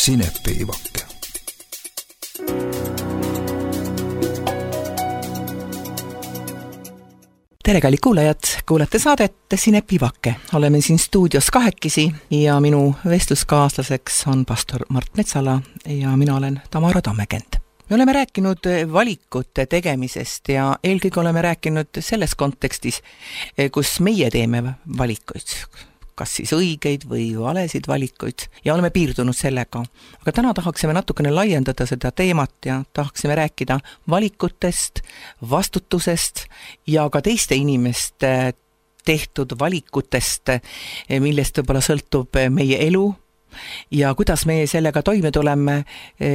Sinepiivake. Tere, kallid kuulajad, kuulate saadet Sinepiivake. Oleme siin stuudios kahekesi ja minu vestluskaaslaseks on pastor Mart Metsala ja mina olen Tamara Tammekend. Me oleme rääkinud valikute tegemisest ja eelkõige oleme rääkinud selles kontekstis, kus meie teeme valikuid, kas siis õigeid või valesid valikuid ja oleme piirdunud sellega. Aga täna tahaksime natukene laiendada seda teemat ja tahaksime rääkida valikutest, vastutusest ja ka teiste inimeste tehtud valikutest, millest võib-olla sõltub meie elu ja kuidas meie sellega toime tuleme,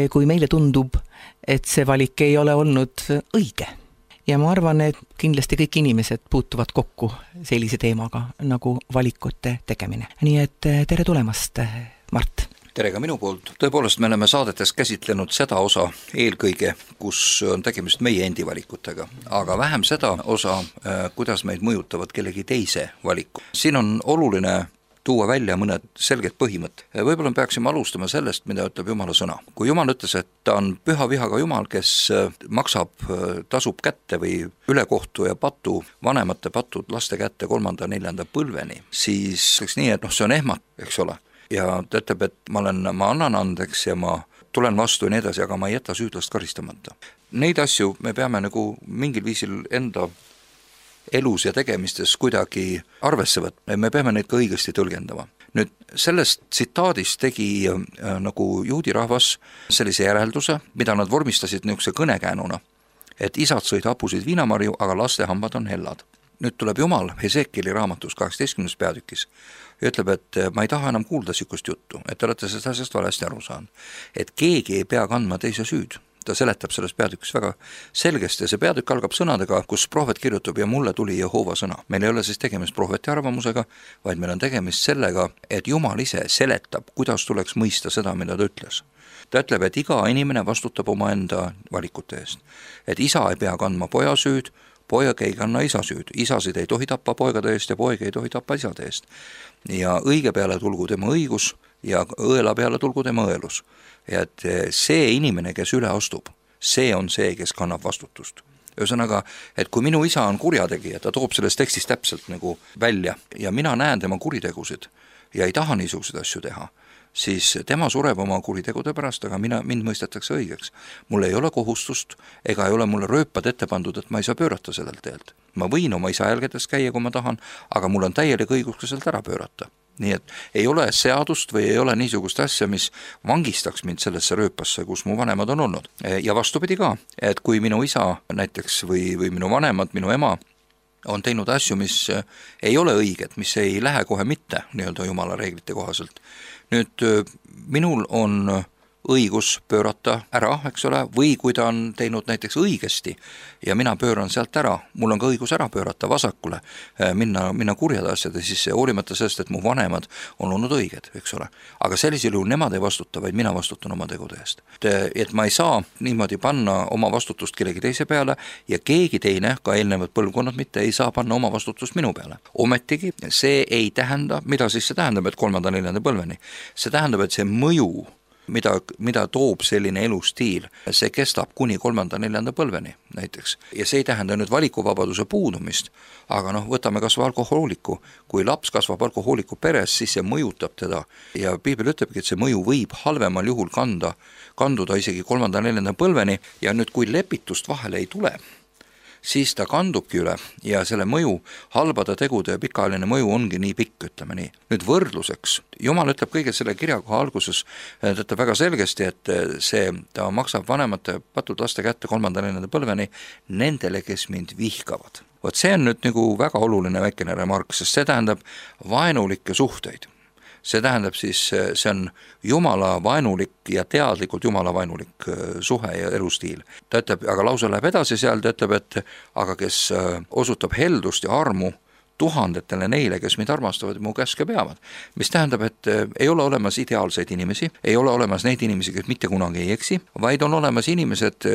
kui meile tundub, et see valik ei ole olnud õige. Ja ma arvan, et kindlasti kõik inimesed puutuvad kokku sellise teemaga nagu valikute tegemine. Nii et tere tulemast, Mart. Tere ka minu poolt. Tõepoolest, me oleme saadetes käsitlenud seda osa eelkõige, kus on tegemist meie endi valikutega, aga vähem seda osa, kuidas meid mõjutavad kellegi teise valiku. Siin on oluline tuua välja mõned selged põhimõtted. Võib-olla me peaksime alustama sellest, mida ütleb Jumala sõna. Kui Jumal ütles, et ta on püha vihaga Jumal, kes tasub kätte või ülekohtu ja patu, vanemate patud laste kätte 3. ja 4. põlveni, siis oleks nii, et see on ehmat, eks ole. Ja ta ütleb, et ma annan andeks ja ma tulen vastu ja nii edasi, aga ma ei jäta süüdlast karistamata. Neid asju me peame nagu mingil viisil enda elus ja tegemistes kuidagi arvesse võtma ja me peame neid ka õigesti tõlgendama. Nüüd sellest tsitaadist tegi nagu juudi rahvas sellise järelduse, mida nad vormistasid niisuguse kõnekäänuna, et isad sõid hapusid viinamarju, aga laste hambad on hellad. Nüüd tuleb Jumal Hesekieli raamatus 18. peatükis ja ütleb, et ma ei taha enam kuulda sükust juttu, et te olete sellest asjast valesti aru saanud, et keegi ei pea kandma teise süüd. Ta seletab selles peatükis väga selgesti ja see peatükk algab sõnadega, kus prohvet kirjutab ja mulle tuli Jehova sõna. Meil ei ole siis tegemist prohveti arvamusega, vaid meil on tegemist sellega, et Jumal ise seletab, kuidas tuleks mõista seda, mida ta ütles. Ta ütleb, et iga inimene vastutab oma enda valikute eest. Et isa ei pea kandma poja süüd, poeg ei kanna isa süüd, isasid ei tohi tappa poegade eest ja poeg ei tohi tappa isade eest. Ja õige peale tulgu tema õigus ja õela peale tulgu tema õelus. Ja et see inimene, kes üle astub, see on see, kes kannab vastutust. Ühesõnaga, et kui minu isa on kurjategija, ta toob selles tekstis täpselt nagu välja ja mina näen tema kuritegusid ja ei taha niisuguseid asju teha, siis tema sureb oma kuritegude pärast, aga mind mõistetakse õigeks. Mul ei ole kohustust ega ei ole mulle rööpad ette pandud, et ma ei saa pöörata sellelt teelt. Ma võin oma isa jälgedes käia, kui ma tahan, aga mul on täielik õigus ka sealt ära pöörata. Nii et ei ole seadust või ei ole niisugust asja, mis vangistaks mind sellesse rööpasse, kus mu vanemad on olnud. Ja vastupidi ka, et kui minu isa näiteks või minu vanemad, minu ema on teinud asju, mis ei ole õiged, mis ei lähe kohe mitte nii-öelda Jumala reeglite kohaselt. Nüüd minul on õigus pöörata ära, eks ole, või kui ta on teinud näiteks õigesti ja mina pööran sealt ära, mul on ka õigus ära pöörata vasakule, minna kurjade asjade sisse, hoolimata sellest, et mu vanemad on olnud õiged, eks ole. Aga sellisel juhul nemad ei vastuta, vaid mina vastutan oma tegude eest. Et ma ei saa niimoodi panna oma vastutust kellegi teise peale ja keegi teine, ka eelnevad põlvkonnad mitte, ei saa panna oma vastutust minu peale. Ometigi see ei tähenda, mida siis see tähendab, et 3. ja 4. põlveni. See tähendab, et see mõju mida toob selline elustiil, see kestab kuni 3. ja 4. põlveni näiteks. Ja see ei tähenda nüüd valikuvabaduse puudumist, aga võtame kasvõi alkohooliku. Kui laps kasvab alkohooliku peres, siis see mõjutab teda ja Piibel ütlebki, et see mõju võib halvemal juhul kanduda isegi 3. ja 4. põlveni ja nüüd kui lepitust vahele ei tule, siis ta kandubki üle ja selle mõju, halbade tegude ja pikaajaline mõju ongi nii pikk, ütleme nii. Nüüd võrdluseks, Jumal ütleb kõige selle kirjakoha alguses, ta ütleb väga selgesti, et ta maksab vanemate patud laste kätte 3. ja 4. põlveni nendele, kes mind vihkavad. Vot see on nüüd nagu väga oluline väikene remark, sest see tähendab vaenulikke suhteid. See tähendab siis, see on Jumala vaenulik ja teadlikult Jumala vaenulik suhe ja elustiil. Ta ütleb, aga lause läheb edasi seal, ta ütleb, et aga kes osutab heldust ja armu tuhandetele neile, kes mind armastavad ja mu käske peavad. Mis tähendab, et ei ole olemas ideaalseid inimesi, ei ole olemas neid inimesi, kes mitte kunagi ei eksi, vaid on olemas inimesed,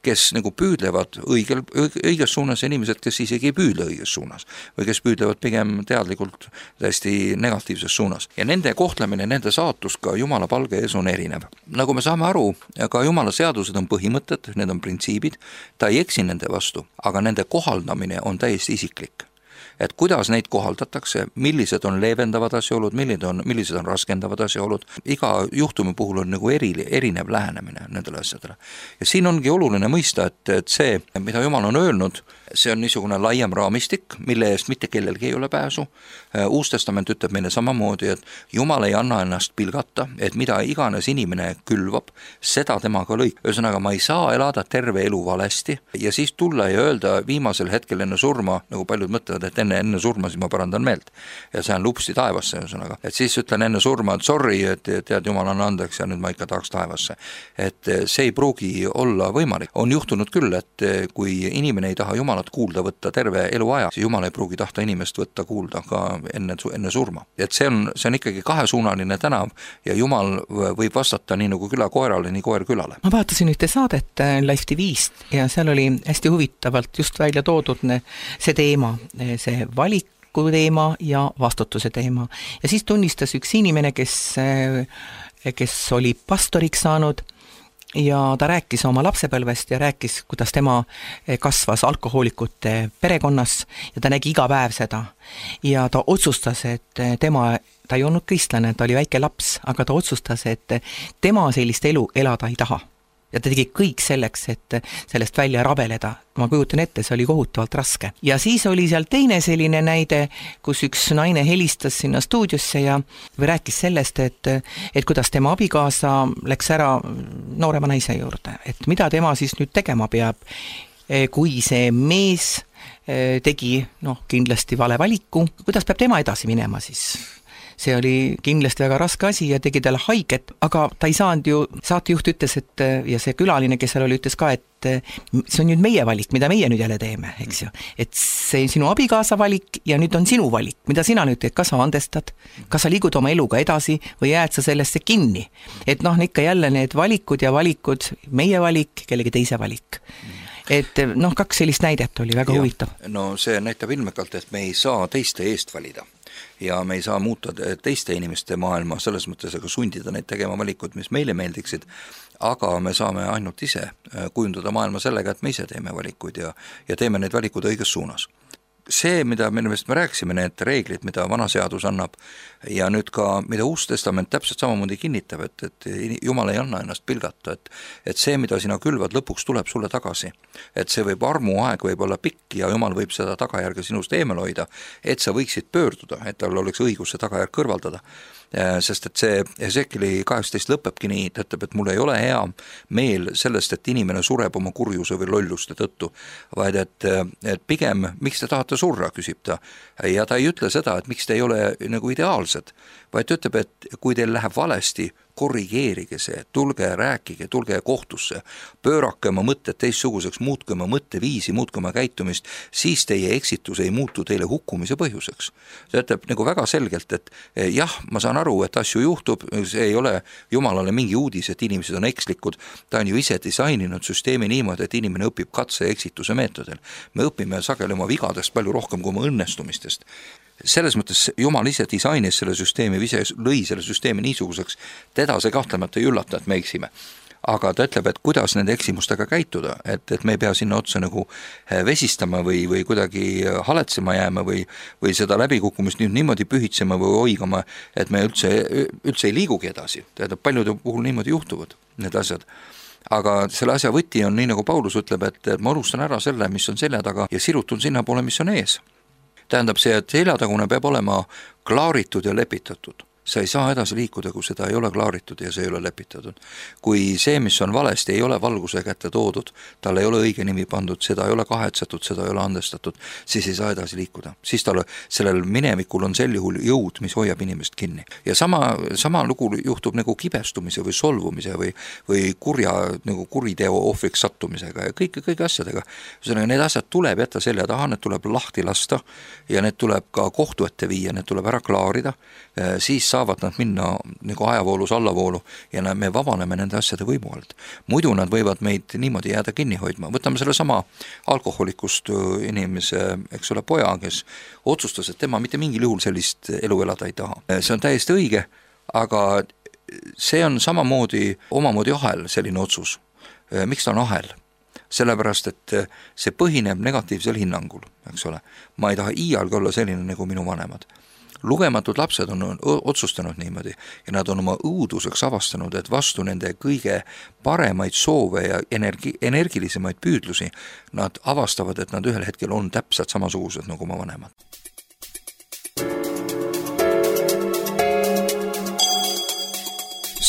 kes nagu püüdlevad õiges suunas ja inimesed, kes isegi ei püüdle õiges suunas või kes püüdlevad pigem teadlikult täiesti negatiivses suunas. Ja nende kohtlemine, nende saatus ka Jumala palge ees on erinev. Nagu me saame aru, ka Jumala seadused on põhimõtted, need on printsiibid, ta ei eksi nende vastu, aga nende kohaldamine on täiesti isiklik. Et kuidas neid kohaldatakse, millised on leevendavad asjaolud, millised on raskendavad asjaolud, iga juhtumi puhul on nagu erinev lähenemine nendele asjadele. Ja siin ongi oluline mõista, et see, mida Jumal on öelnud, see on niisugune laiem raamistik, mille eest mitte kellelgi ei ole pääsu. Uus testament ütleb meile samamoodi, et Jumal ei anna ennast pilgata, et mida iganes inimene külvab, seda temaga lõik. Ühesõnaga, ma ei saa elada terve elu valesti ja siis tulla ja öelda viimasel hetkel enne surma, nagu paljud mõtlevad, et enne surma, siis ma parandan meelt. Ja see on lupsti taevasse, ühesõnaga. Et siis ütlen enne surma, et sorry, et tead, Jumal on andeks ja nüüd ma ikka tahaks taevasse. Et see ei pruugi olla võimalik. On juhtunud küll, et kui inimene ei taha Jumalat kuulda võtta terve eluaja, siis Jumal ei pruugi tahta inimest võtta kuulda ka enne surma. Et see on ikkagi kahesuunaline tänav ja Jumal võib vastata nii nagu küla koerale, nii koer külale. Ma vaatasin ühte saadet Live TV-st ja seal oli hästi huvitavalt just välja toodud see teema, see valiku teema ja vastutuse teema. Ja siis tunnistas üks inimene, kes oli pastoriks saanud ja ta rääkis oma lapsepõlvest ja rääkis, kuidas tema kasvas alkohoolikute perekonnas ja ta nägi iga päev seda. Ja ta otsustas, et ta ei olnud kristlane, ta oli väike laps, aga ta otsustas, et tema sellist elu elada ei taha. Ja ta tegi kõik selleks, et sellest välja rabeleda. Ma kujutan ette, see oli kohutavalt raske. Ja siis oli seal teine selline näide, kus üks naine helistas sinna stuudiosse ja rääkis sellest, et kuidas tema abikaasa läks ära noorema naise juurde. Et mida tema siis nüüd tegema peab, kui see mees tegi kindlasti vale valiku. Kuidas peab tema edasi minema siis? See oli kindlasti väga raske asi ja tegi talle haiget, aga ta ei saanud ju, saatejuht ütles, ja see külaline, kes seal oli, ütles ka, et see on nüüd meie valik, mida meie nüüd jälle teeme, eks ju. Et see sinu abikaasa valik ja nüüd on sinu valik, mida sina nüüd teed, kas sa andestad, kas sa liigud oma eluga edasi või jääd sa sellesse kinni. Et ikka jälle need valikud ja valikud, meie valik, kellegi teise valik. Et kaks sellist näidet oli väga huvitav. No see näitab ilmekalt, et me ei saa teiste eest valida. Ja me ei saa muuta teiste inimeste maailma selles mõttes, aga sundida neid tegema valikud, mis meile meeldiksid, aga me saame ainult ise kujundada maailma sellega, et me ise teeme valikuid ja teeme neid valikud õiges suunas. See, mida me rääkisime, need reeglid, mida vana seadus annab ja nüüd ka, mida Uus Testament täpselt samamoodi kinnitab, et Jumal ei anna ennast pilgata, et see, mida sina külvad, lõpuks tuleb sulle tagasi. Et see armuaeg võib olla pikk ja Jumal võib seda tagajärge sinust eemal hoida, et sa võiksid pöörduda, et tal oleks õigus see tagajärg kõrvaldada. Sest et see Hesekieli 18 lõpebki nii, ta ütleb, et mul ei ole hea meel sellest, et inimene sureb oma kurjuse või lolluste tõttu, vaid et pigem, miks te tahate surra, küsib ta. Ja ta ei ütle seda, et miks te ei ole nagu ideaalsed, vaid ta ütleb, et kui teil läheb valesti, korrigeerige see, tulge rääkige, tulge kohtusse, pöörake oma mõtted teistsuguseks, muutke oma mõtteviisi, muutke oma käitumist, siis teie eksitus ei muutu teile hukkumise põhjuseks. See ütleb nagu väga selgelt, et jah, ma saan aru, et asju juhtub, see ei ole Jumalale mingi uudis, et inimesed on ekslikud, ta on ju ise disaininud süsteemi niimoodi, et inimene õpib katse ja eksituse meetodil. Me õpime sageli oma vigadest palju rohkem kui oma õnnestumistest. Selles mõttes Jumal ise disainis selle süsteemi, ise lõi selle süsteemi niisuguseks, teda see kahtlemata ei üllata, et me eksime. Aga ta ütleb, et kuidas nende eksimustega käituda, et me ei pea sinna otsa nagu vesistama või kuidagi haletsema jääma või seda läbikukkumist niimoodi pühitsema või hoigama, et me üldse ei liigugi edasi. Tähendab, paljude puhul niimoodi juhtuvad need asjad. Aga selle asja võti on nii, nagu Paulus ütleb, et ma unustan ära selle, mis on selja taga ja sirutun sinna poole, mis on ees. Tähendab see, et seljatagune peab olema klaaritud ja lepitatud. Sa ei saa edasi liikuda, kui seda ei ole klaaritud ja see ei ole lepitatud. Kui see, mis on valesti, ei ole valguse kätte toodud, tal ei ole õige nimi pandud, seda ei ole kahetsetud, seda ei ole andestatud, siis ei saa edasi liikuda. Siis sellel minevikul on sel juhul jõud, mis hoiab inimest kinni. Ja sama lugu juhtub nagu kibestumise või solvumise või kuriteo ohvriks sattumisega ja kõik asjadega. Need asjad tuleb jätta selja taha, need tuleb lahti lasta ja need tuleb ka kohtu ette viia, need tuleb ära klaarida, siis saavad nad minna nagu ajavoolus allavoolu ja me vabaneme nende asjade võimu alt. Muidu nad võivad meid niimoodi jääda kinni hoidma. Võtame selle sama alkoholikust inimese, eks ole, poja, kes otsustas, et tema mitte mingil juhul sellist elu elada ei taha. See on täiesti õige, aga see on samamoodi omamoodi ahel selline otsus. Miks ta on ahel? Sellepärast, et see põhineb negatiivsel hinnangul, eks ole. Ma ei taha iialgi olla selline nagu minu vanemad. Lugematud lapsed on otsustanud niimoodi ja nad on oma õuduseks avastanud, et vastu nende kõige paremaid soove ja energilisemaid püüdlusi nad avastavad, et nad ühel hetkel on täpselt samasugused nagu oma vanemad.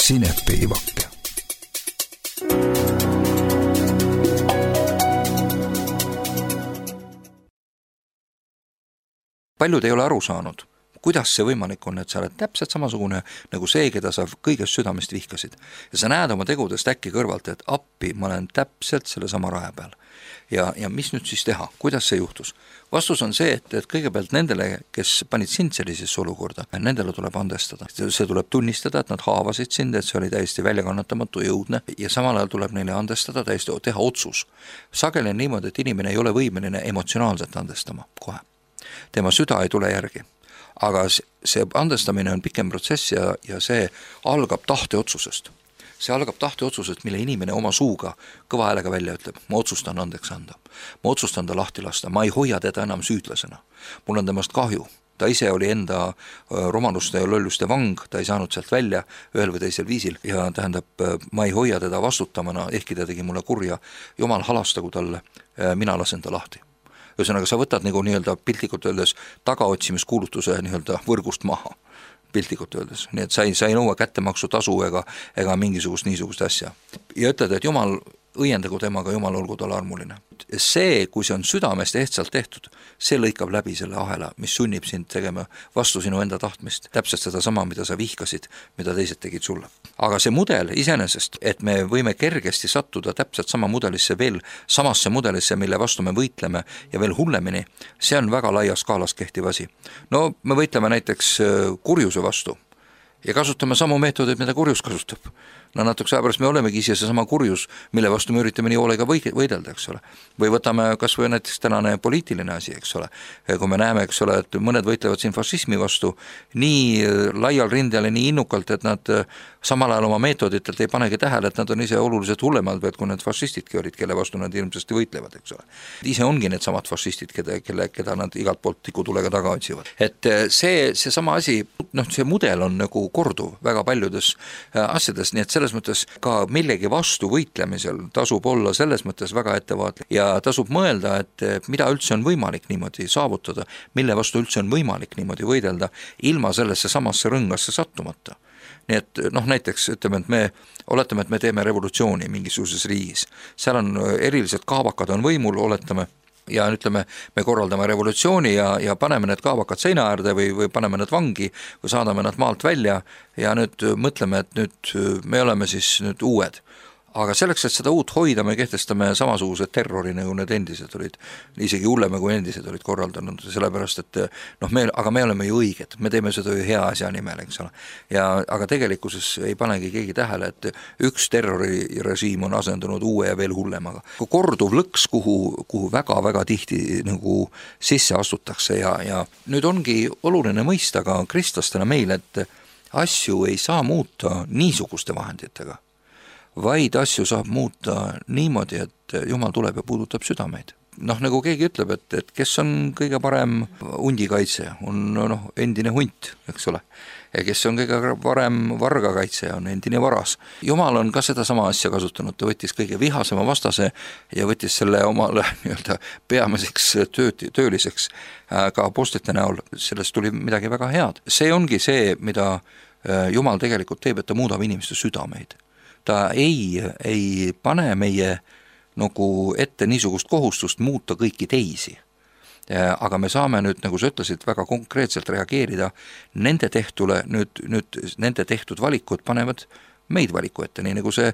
Sinepiivake. Paljud ei ole aru saanud, kuidas see võimalik on, et sa oled täpselt samasugune nagu see, keda sa kõigest südamest vihkasid. Ja sa näed oma tegudest äkki kõrvalt, et appi, ma olen täpselt selle sama raja peal. Ja mis nüüd siis teha? Kuidas see juhtus? Vastus on see, et kõigepealt nendele, kes panid sind sellisesse olukorda, nendele tuleb andestada. See tuleb tunnistada, et nad haavasid sind, et see oli täiesti väljakannatamatu jõudne ja samal ajal tuleb neile andestada, täiesti teha otsus. Sageli on niimoodi, et inimene ei ole võimeline emotsionaalselt andestama kohe. Tema süda ei tule järgi. Aga see andestamine on pikem protsess ja see algab tahteotsusest. See algab tahteotsusest, mille inimene oma suuga kõva häälega välja ütleb. Ma otsustan andeks anda. Ma otsustan ta lahti lasta. Ma ei hoia teda enam süüdlasena. Mul on temast kahju. Ta ise oli enda romaluste ja lolluste vang, ta ei saanud sealt välja ühel või teisel viisil ja tähendab, ma ei hoia teda vastutamana, ehkki ta tegi mulle kurja. Jumal halastagu talle, mina lasen ta lahti. Ühesõnaga, sa võtad nagu nii-öelda piltlikult öeldes tagaotsimiskuulutuse nii-öelda võrgust maha, piltlikult öeldes. Nii et sa ei nõua kättemaksu tasu ega mingisugust niisugust asja. Ja ütled, et Jumal õiendagu temaga, Jumal olgu tal armuline. See, kui see on südamest ehtsalt tehtud, see lõikab läbi selle ahela, mis sunnib sind tegema vastu sinu enda tahtmist. Täpselt seda sama, mida sa vihkasid, mida teised tegid sulle. Aga see mudel iseenesest, et me võime kergesti sattuda täpselt sama mudelisse veel, samasse mudelisse, mille vastu me võitleme ja veel hullemini, see on väga laia skaalas kehtiv asi. No me võitleme näiteks kurjuse vastu ja kasutame samu meetodeid, mida kurjus kasutab. No natuke pärast me olemegi ise see sama kurjus, mille vastu me üritame nii hoolega võidelda, eks ole. Või võtame kas või näiteks tänane poliitiline asi, eks ole. Kui me näeme, eks ole, et mõned võitlevad siin fašismi vastu nii laial rindel ja nii innukalt, et nad samal ajal oma meetoditelt ei panegi tähele, et nad on ise oluliselt hullemad, kui need fašistidki olid, kelle vastu nad ilmsesti võitlevad, eks ole. Ise ongi need samad fašistid, keda nad igalt poolt tikutulega taga otsivad. Et see sama asi, see mudel on nagu korduv väga paljudes asjades, nii et selles mõttes ka millegi vastu võitlemisel tasub olla selles mõttes väga ettevaatlik ja tasub mõelda, et mida üldse on võimalik niimoodi saavutada, mille vastu üldse on võimalik niimoodi võidelda, ilma sellesse samasse rõngasse sattumata. Nii et näiteks ütleme, et me teeme revolutsiooni mingisuguses riigis. Seal on erilised kaabakad on võimul, oletame, ja ütleme, me korraldame revolutsiooni ja paneme need kaabakad seina äärde või paneme need vangi või saadame nad maalt välja ja nüüd mõtleme, et nüüd me oleme siis nüüd uued. Aga selleks, et seda uut hoida, me kehtestame samasugused terrori, nagu need endised olid, isegi hullema kui endised olid korraldanud, sellepärast, et aga me oleme ju õiged, me teeme seda ju hea asja nimel, eks ole. Aga tegelikkuses ei panegi keegi tähele, et üks terrorirežiim on asendunud uue ja veel hullemaga. Korduv lõks, kuhu väga-väga tihti nagu sisse astutakse ja nüüd ongi oluline mõista ka kristlastena meil, et asju ei saa muuta niisuguste vahenditega, vaid asju saab muuta niimoodi, et Jumal tuleb ja puudutab südameid. Nagu keegi ütleb, et kes on kõige parem hundikaitse, on endine hunt, eks ole. Ja kes on kõige parem vargakaitse, on endine varas. Jumal on ka seda sama asja kasutanud, ta võttis kõige vihasema vastase ja võttis selle omale nii-öelda peamiseks tööliseks ka apostlite näol. Sellest tuli midagi väga head. See ongi see, mida Jumal tegelikult teeb, et ta muudab inimeste südameid. Ta ei pane meie nagu ette niisugust kohustust muuta kõiki teisi. Aga me saame nüüd, nagu sa ütlesid, väga konkreetselt reageerida nende tehtule, nüüd nende tehtud valikud panevad meid valiku ette, nii nagu see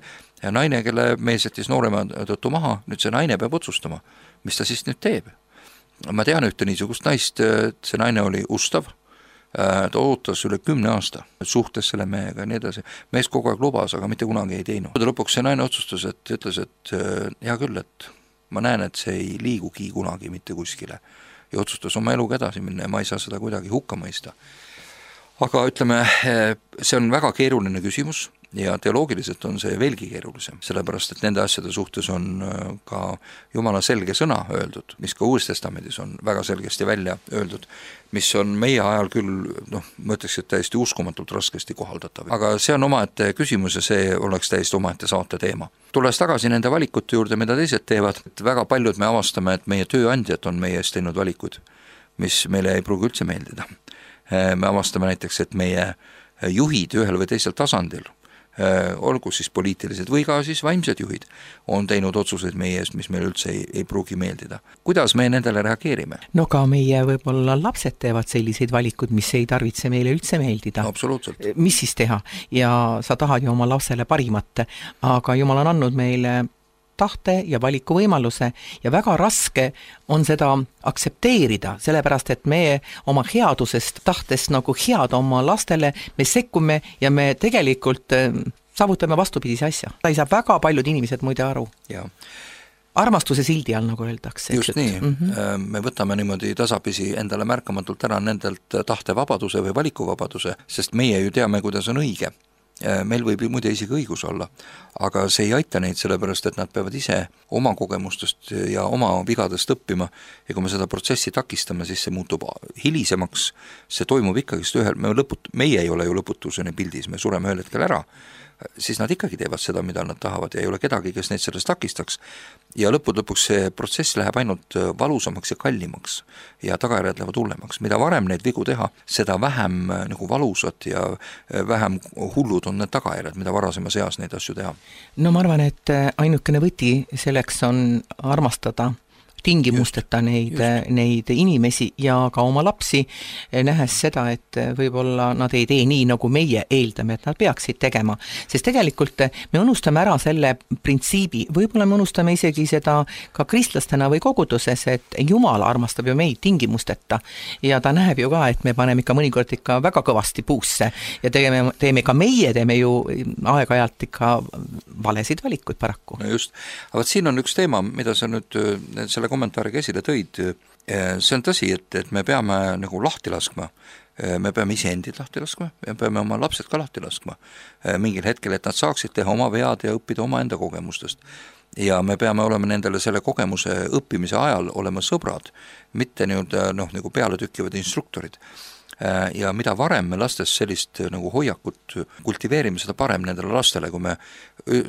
naine, kelle mees jättis noorema tõttu maha, nüüd see naine peab otsustama, mis ta siis nüüd teeb. Ma tean ühte niisugust naist, see naine oli ustav, ta ootas üle 10 aasta, suhtes selle mehega ja nii edasi. Mees kogu aeg lubas, aga mitte kunagi ei teinud. Lõpuks see naine otsustas, et ütles, et hea küll, et ma näen, et see ei liigugi kunagi mitte kuskile. Ja otsustas oma eluga edasi minna ja ma ei saa seda kuidagi hukka mõista. Aga ütleme, see on väga keeruline küsimus ja teoloogiliselt on see veelgi keerulisem, sellepärast et nende asjade suhtes on ka Jumala selge sõna öeldud, mis ka Uues Testamendis on väga selgesti välja öeldud, mis on meie ajal küll, ma ütleks, et täiesti uskumatult raskesti kohaldatav. Aga see on omaette küsimus ja see oleks täiesti omaette saate teema. Tulles tagasi nende valikute juurde, mida teised teevad, et väga paljud me avastame, et meie tööandjad on meie eest teinud valikuid, mis meile ei pruugi üldse meeldida. Me avastame näiteks, et meie juhid ühel või teisel tasandil, olgu siis poliitilised või ka siis vaimsed juhid, on teinud otsuseid meie eest, mis meil üldse ei pruugi meeldida. Kuidas me nendele reageerime? No ka meie võib-olla lapsed teevad selliseid valikud, mis ei tarvitse meile üldse meeldida. Absoluutselt. Mis siis teha? Ja sa tahad ju oma lapsele parimat, aga Jumal on andnud meile tahte ja valiku võimaluse ja väga raske on seda aktsepteerida, sellepärast et me oma headusest tahtest nagu head oma lastele, me sekkume ja me tegelikult saavutame vastupidise asja. Ta ei saa väga paljud inimesed muide aru. Ja. Armastuse sildi all, nagu öeldakse. Just nii. Me võtame niimoodi tasapisi endale märkamatult ära nendelt tahtevabaduse või valikuvabaduse, sest meie ju teame, kuidas on õige. Meil võib ju muide isegi õigus olla, aga see ei aita neid, sellepärast et nad peavad ise oma kogemustest ja oma vigadest õppima ja kui me seda protsessi takistame, siis see muutub hilisemaks, see toimub ikkagist meie ei ole ju lõputuseni pildis, me sureme ühel hetkel ära, siis nad ikkagi teevad seda, mida nad tahavad ja ei ole kedagi, kes neid sellest takistaks ja lõpuks see protsess läheb ainult valusamaks ja kallimaks ja tagajärjed lähevad hullemaks. Mida varem neid vigu teha, seda vähem nagu valusad ja vähem hullud on need tagajärjed, mida varasemas eas neid asju teha. No ma arvan, et ainukene võti selleks on armastada tingimusteta neid inimesi ja ka oma lapsi, nähes seda, et võib-olla nad ei tee nii, nagu meie eeldame, et nad peaksid tegema. Sest tegelikult me unustame ära selle printsiibi, võib-olla me unustame isegi seda ka kristlastena või koguduses, et Jumal armastab ju meid tingimusteta ja ta näeb ju ka, et me paneme ikka mõnikord ikka väga kõvasti puusse ja teeme ka meie, teeme ju aeg-ajalt ikka valesid valikuid paraku. No just, aga siin on üks teema, mida sa nüüd selle kommentaariga esile tõid, see on tõsi, et me peame nagu lahti laskma, me peame iseendid lahti laskma, me peame oma lapsed ka lahti laskma mingil hetkel, et nad saaksid teha oma vead ja õppida oma enda kogemustest. Ja me peame olema nendele selle kogemuse õppimise ajal olema sõbrad, mitte nagu peale tükkivad instruktorid. Ja mida varem me lastes sellist nagu hoiakut kultiveerime, seda parem nendele lastele, kui me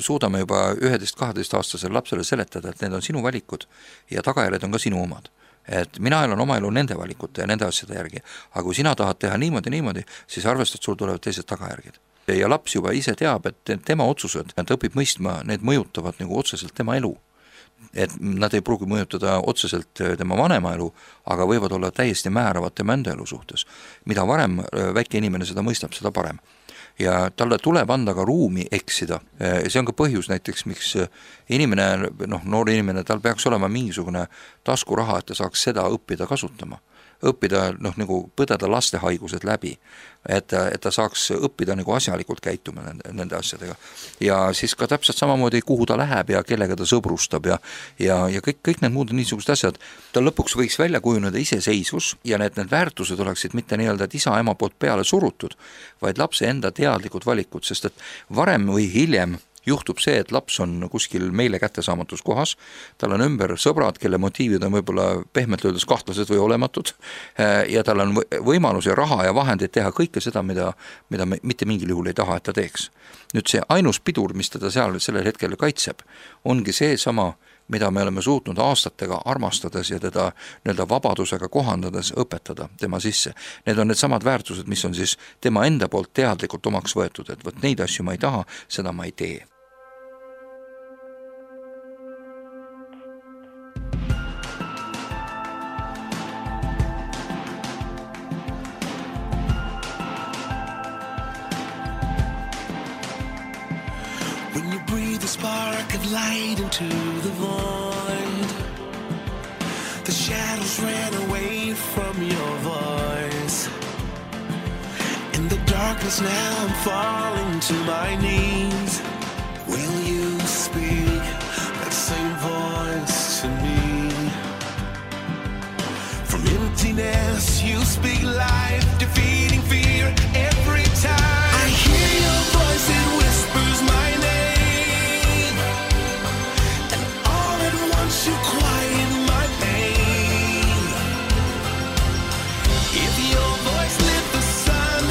suudame juba 11-12 aastasele lapsele seletada, et need on sinu valikud ja tagajärjed on ka sinu omad. Et mina elan oma elu nende valikute ja nende asjade järgi, aga kui sina tahad teha niimoodi, siis arvestad, sul tulevad teised tagajärged. Ja laps juba ise teab, et tema otsused, ta õpib mõistma, need mõjutavad nagu otseselt tema elu. Et nad ei pruugi mõjutada otseselt tema vanema elu, aga võivad olla täiesti määravad tema enda elu suhtes. Mida varem väike inimene seda mõistab, seda parem. Ja talle tuleb anda ka ruumi eksida. See on ka põhjus näiteks, miks inimene, noor inimene, tal peaks olema mingisugune taskuraha, et ta saaks seda õppida kasutama. Õppida, nagu põdeda laste haigused läbi, et ta saaks õppida nagu asjalikult käituma nende asjadega. Ja siis ka täpselt samamoodi, kuhu ta läheb ja kellega ta sõbrustab ja kõik need muud niisugused asjad. Ta lõpuks võiks välja kujuneda iseseisvus ja need väärtused oleksid mitte nii-öelda isa-ema poolt peale surutud, vaid lapse enda teadlikud valikud, sest et varem või hiljem juhtub see, et laps on kuskil meile kättesaamatus kohas, tal on ümber sõbrad, kelle motiivid on võib-olla pehmelt öeldes kahtlased või olematud ja tal on võimalus ja raha ja vahendid teha kõike seda, mida me mitte mingil juhul ei taha, et ta teeks. Nüüd see ainus pidur, mis teda seal sellel hetkel kaitseb, ongi see sama, mida me oleme suutnud aastatega armastades ja teda nii-öelda vabadusega kohandades õpetada tema sisse. Need on need samad väärtused, mis on siis tema enda poolt teadlikult omaks võetud, et võt neid asju ma ei taha, seda ma ei tee. Spark of light into the void. The shadows ran away from your voice. 'cause now I'm falling to my knees. Will you speak that same voice to me? From emptiness you speak life, defeating fear every time. I hear your voice, it whispers my name, and all at once you quiet my pain. If your voice lit the sun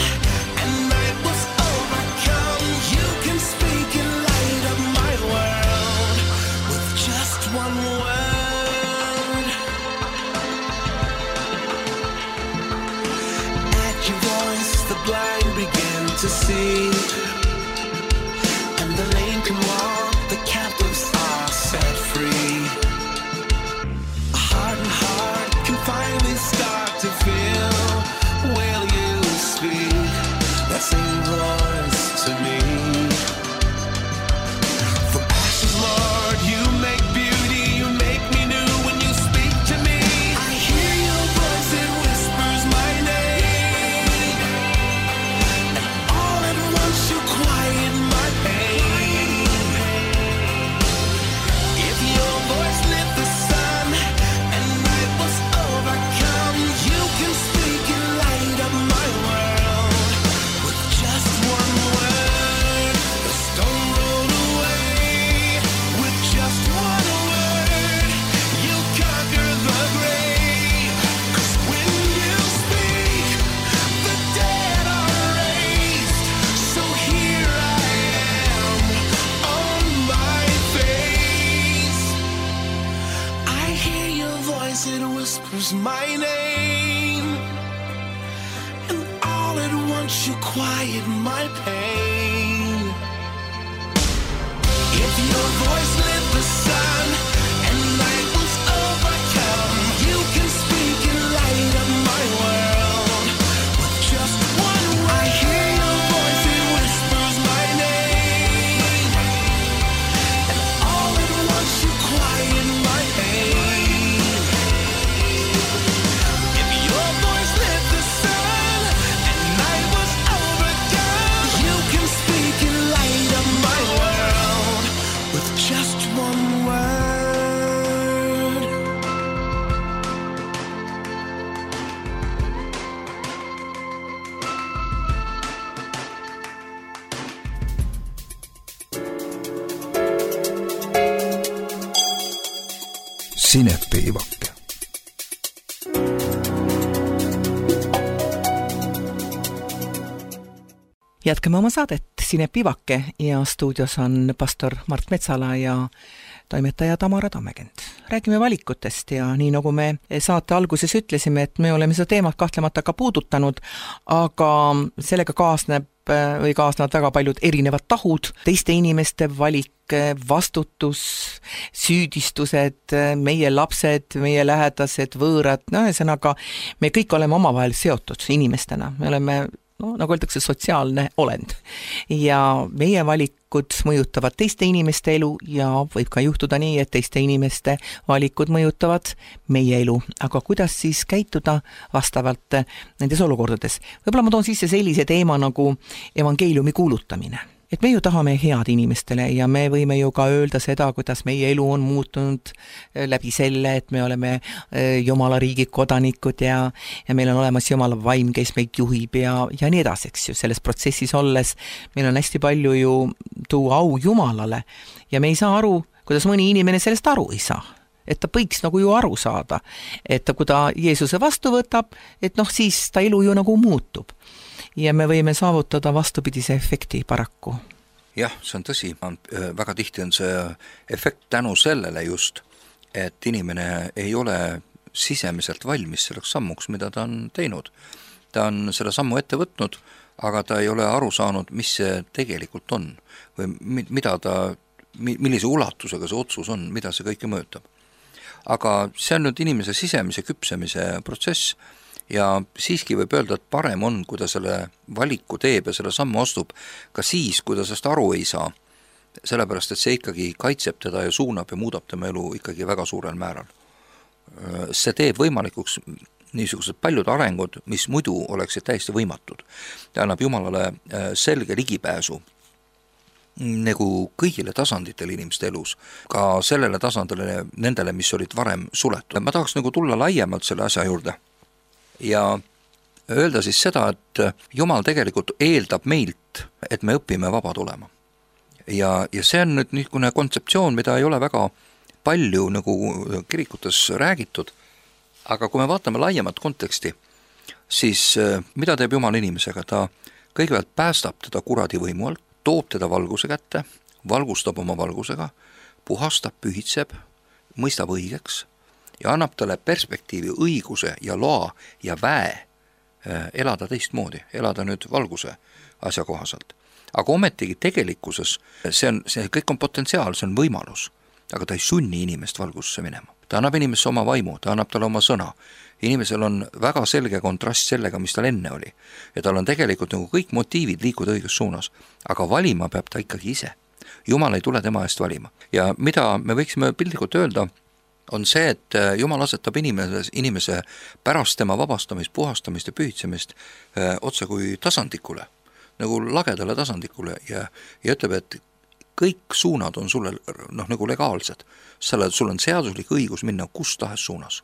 and night was overcome, you can speak and light up my world with just one word. At your voice the blind begin to see, and the lame can walk, the captives are set free. A hardened heart can finally start to feel. Will you speak that same voice to me? From ashes, Lord, you make beauty, you make me new when you speak to me. I hear your voice, it whispers my name, and all at once you quiet my pain. If your voice lit the sun and night was overcome, you can speak and light up my world with just one word. The stone rolled away with just one word. You conquer the grave, 'cause when you speak, the dead are raised. So here I am on my face. I hear your voice, it whispers my name, and all at once you quiet my pain. If your voice lit the sun and night was overcome, you can speak and light up my world with just one word. I hear your voice, it whispers my name, and all at once you quiet my pain. If your voice lit the sun and night was overcome, you can speak and light up my world with just one word. Sinepiivake. Jätkame oma saadet Sinepiivake ja stuudios on pastor Mart Metsala ja toimetaja Tamara Tammekend. Räägime valikutest ja nii nagu me saate alguses ütlesime, et me oleme seda teemat kahtlemata ka puudutanud, aga sellega kaasnevad väga paljud erinevad tahud, teiste inimeste valik, vastutus, süüdistused, meie lapsed, meie lähedased, võõrad, ühesõnaga me kõik oleme omavahel seotud inimestena, me oleme nagu öeldakse, sotsiaalne olend. Ja meie valikud mõjutavad teiste inimeste elu ja võib ka juhtuda nii, et teiste inimeste valikud mõjutavad meie elu. Aga kuidas siis käituda vastavalt nendes olukordades? Võib-olla ma toon sisse sellise teema nagu evangeeliumi kuulutamine. Et me ju tahame head inimestele ja me võime ju ka öelda seda, kuidas meie elu on muutunud läbi selle, et me oleme Jumala riigi kodanikud ja meil on olemas Jumala vaim, kes meid juhib ja nii edasi, eks ju. Selles protsessis olles meil on hästi palju ju tuua au Jumalale ja me ei saa aru, kuidas mõni inimene sellest aru ei saa. Et ta võiks nagu ju aru saada, et kui ta Jeesuse vastu võtab, et siis ta elu ju nagu muutub. Ja me võime saavutada vastupidise efekti paraku. Jah, see on tõsi. Väga tihti on see efekt tänu sellele just, et inimene ei ole sisemiselt valmis selleks sammuks, mida ta on teinud. Ta on selle sammu ette võtnud, aga ta ei ole aru saanud, mis see tegelikult on või millise ulatusega see otsus on, mida see kõike mõjutab. Aga see on nüüd inimese sisemise küpsemise protsess ja siiski võib öelda, et parem on, kui ta selle valiku teeb ja selle sammu astub ka siis, kui ta sellest aru ei saa, sellepärast et see ikkagi kaitseb teda ja suunab ja muudab tema elu ikkagi väga suurel määral. See teeb võimalikuks niisugused paljud arengud, mis muidu oleksid täiesti võimatud. Ta annab Jumalale selge ligipääsu nagu kõigile tasanditele inimeste elus, ka sellele tasandile, nendele, mis olid varem suletud. Ma tahaks nagu tulla laiemalt selle asja juurde ja öelda siis seda, et Jumal tegelikult eeldab meilt, et me õpime vabad olema. Ja see on nüüd niisugune kontseptsioon, mida ei ole väga palju nagu kirikutes räägitud, aga kui me vaatame laiemat konteksti, siis mida teeb Jumal inimesega? Ta kõigepealt päästab teda kuradi võimu alt, toob teda valguse kätte, valgustab oma valgusega, puhastab, pühitseb, mõistab õigeks ja annab talle perspektiivi, õiguse ja loa ja väe elada teistmoodi, elada nüüd valguse asjakohaselt. Aga ometigi tegelikkuses see kõik on potentsiaal, see on võimalus, aga ta ei sunni inimest valgusse minema. Ta annab inimesse oma vaimu, ta annab talle oma sõna. Inimesel on väga selge kontrast sellega, mis tal enne oli. Ja tal on tegelikult nagu kõik motiivid liikuda õiges suunas, aga valima peab ta ikkagi ise. Jumal ei tule tema eest valima. Ja mida me võiksime piltlikult öelda, on see, et Jumal asetab inimese pärast tema vabastamist, puhastamist ja pühitsemist otse kui tasandikule, nagu lagedale tasandikule ja ütleb, et kõik suunad on sulle nagu legaalsed. Sul on seaduslik õigus minna kus tahes suunas.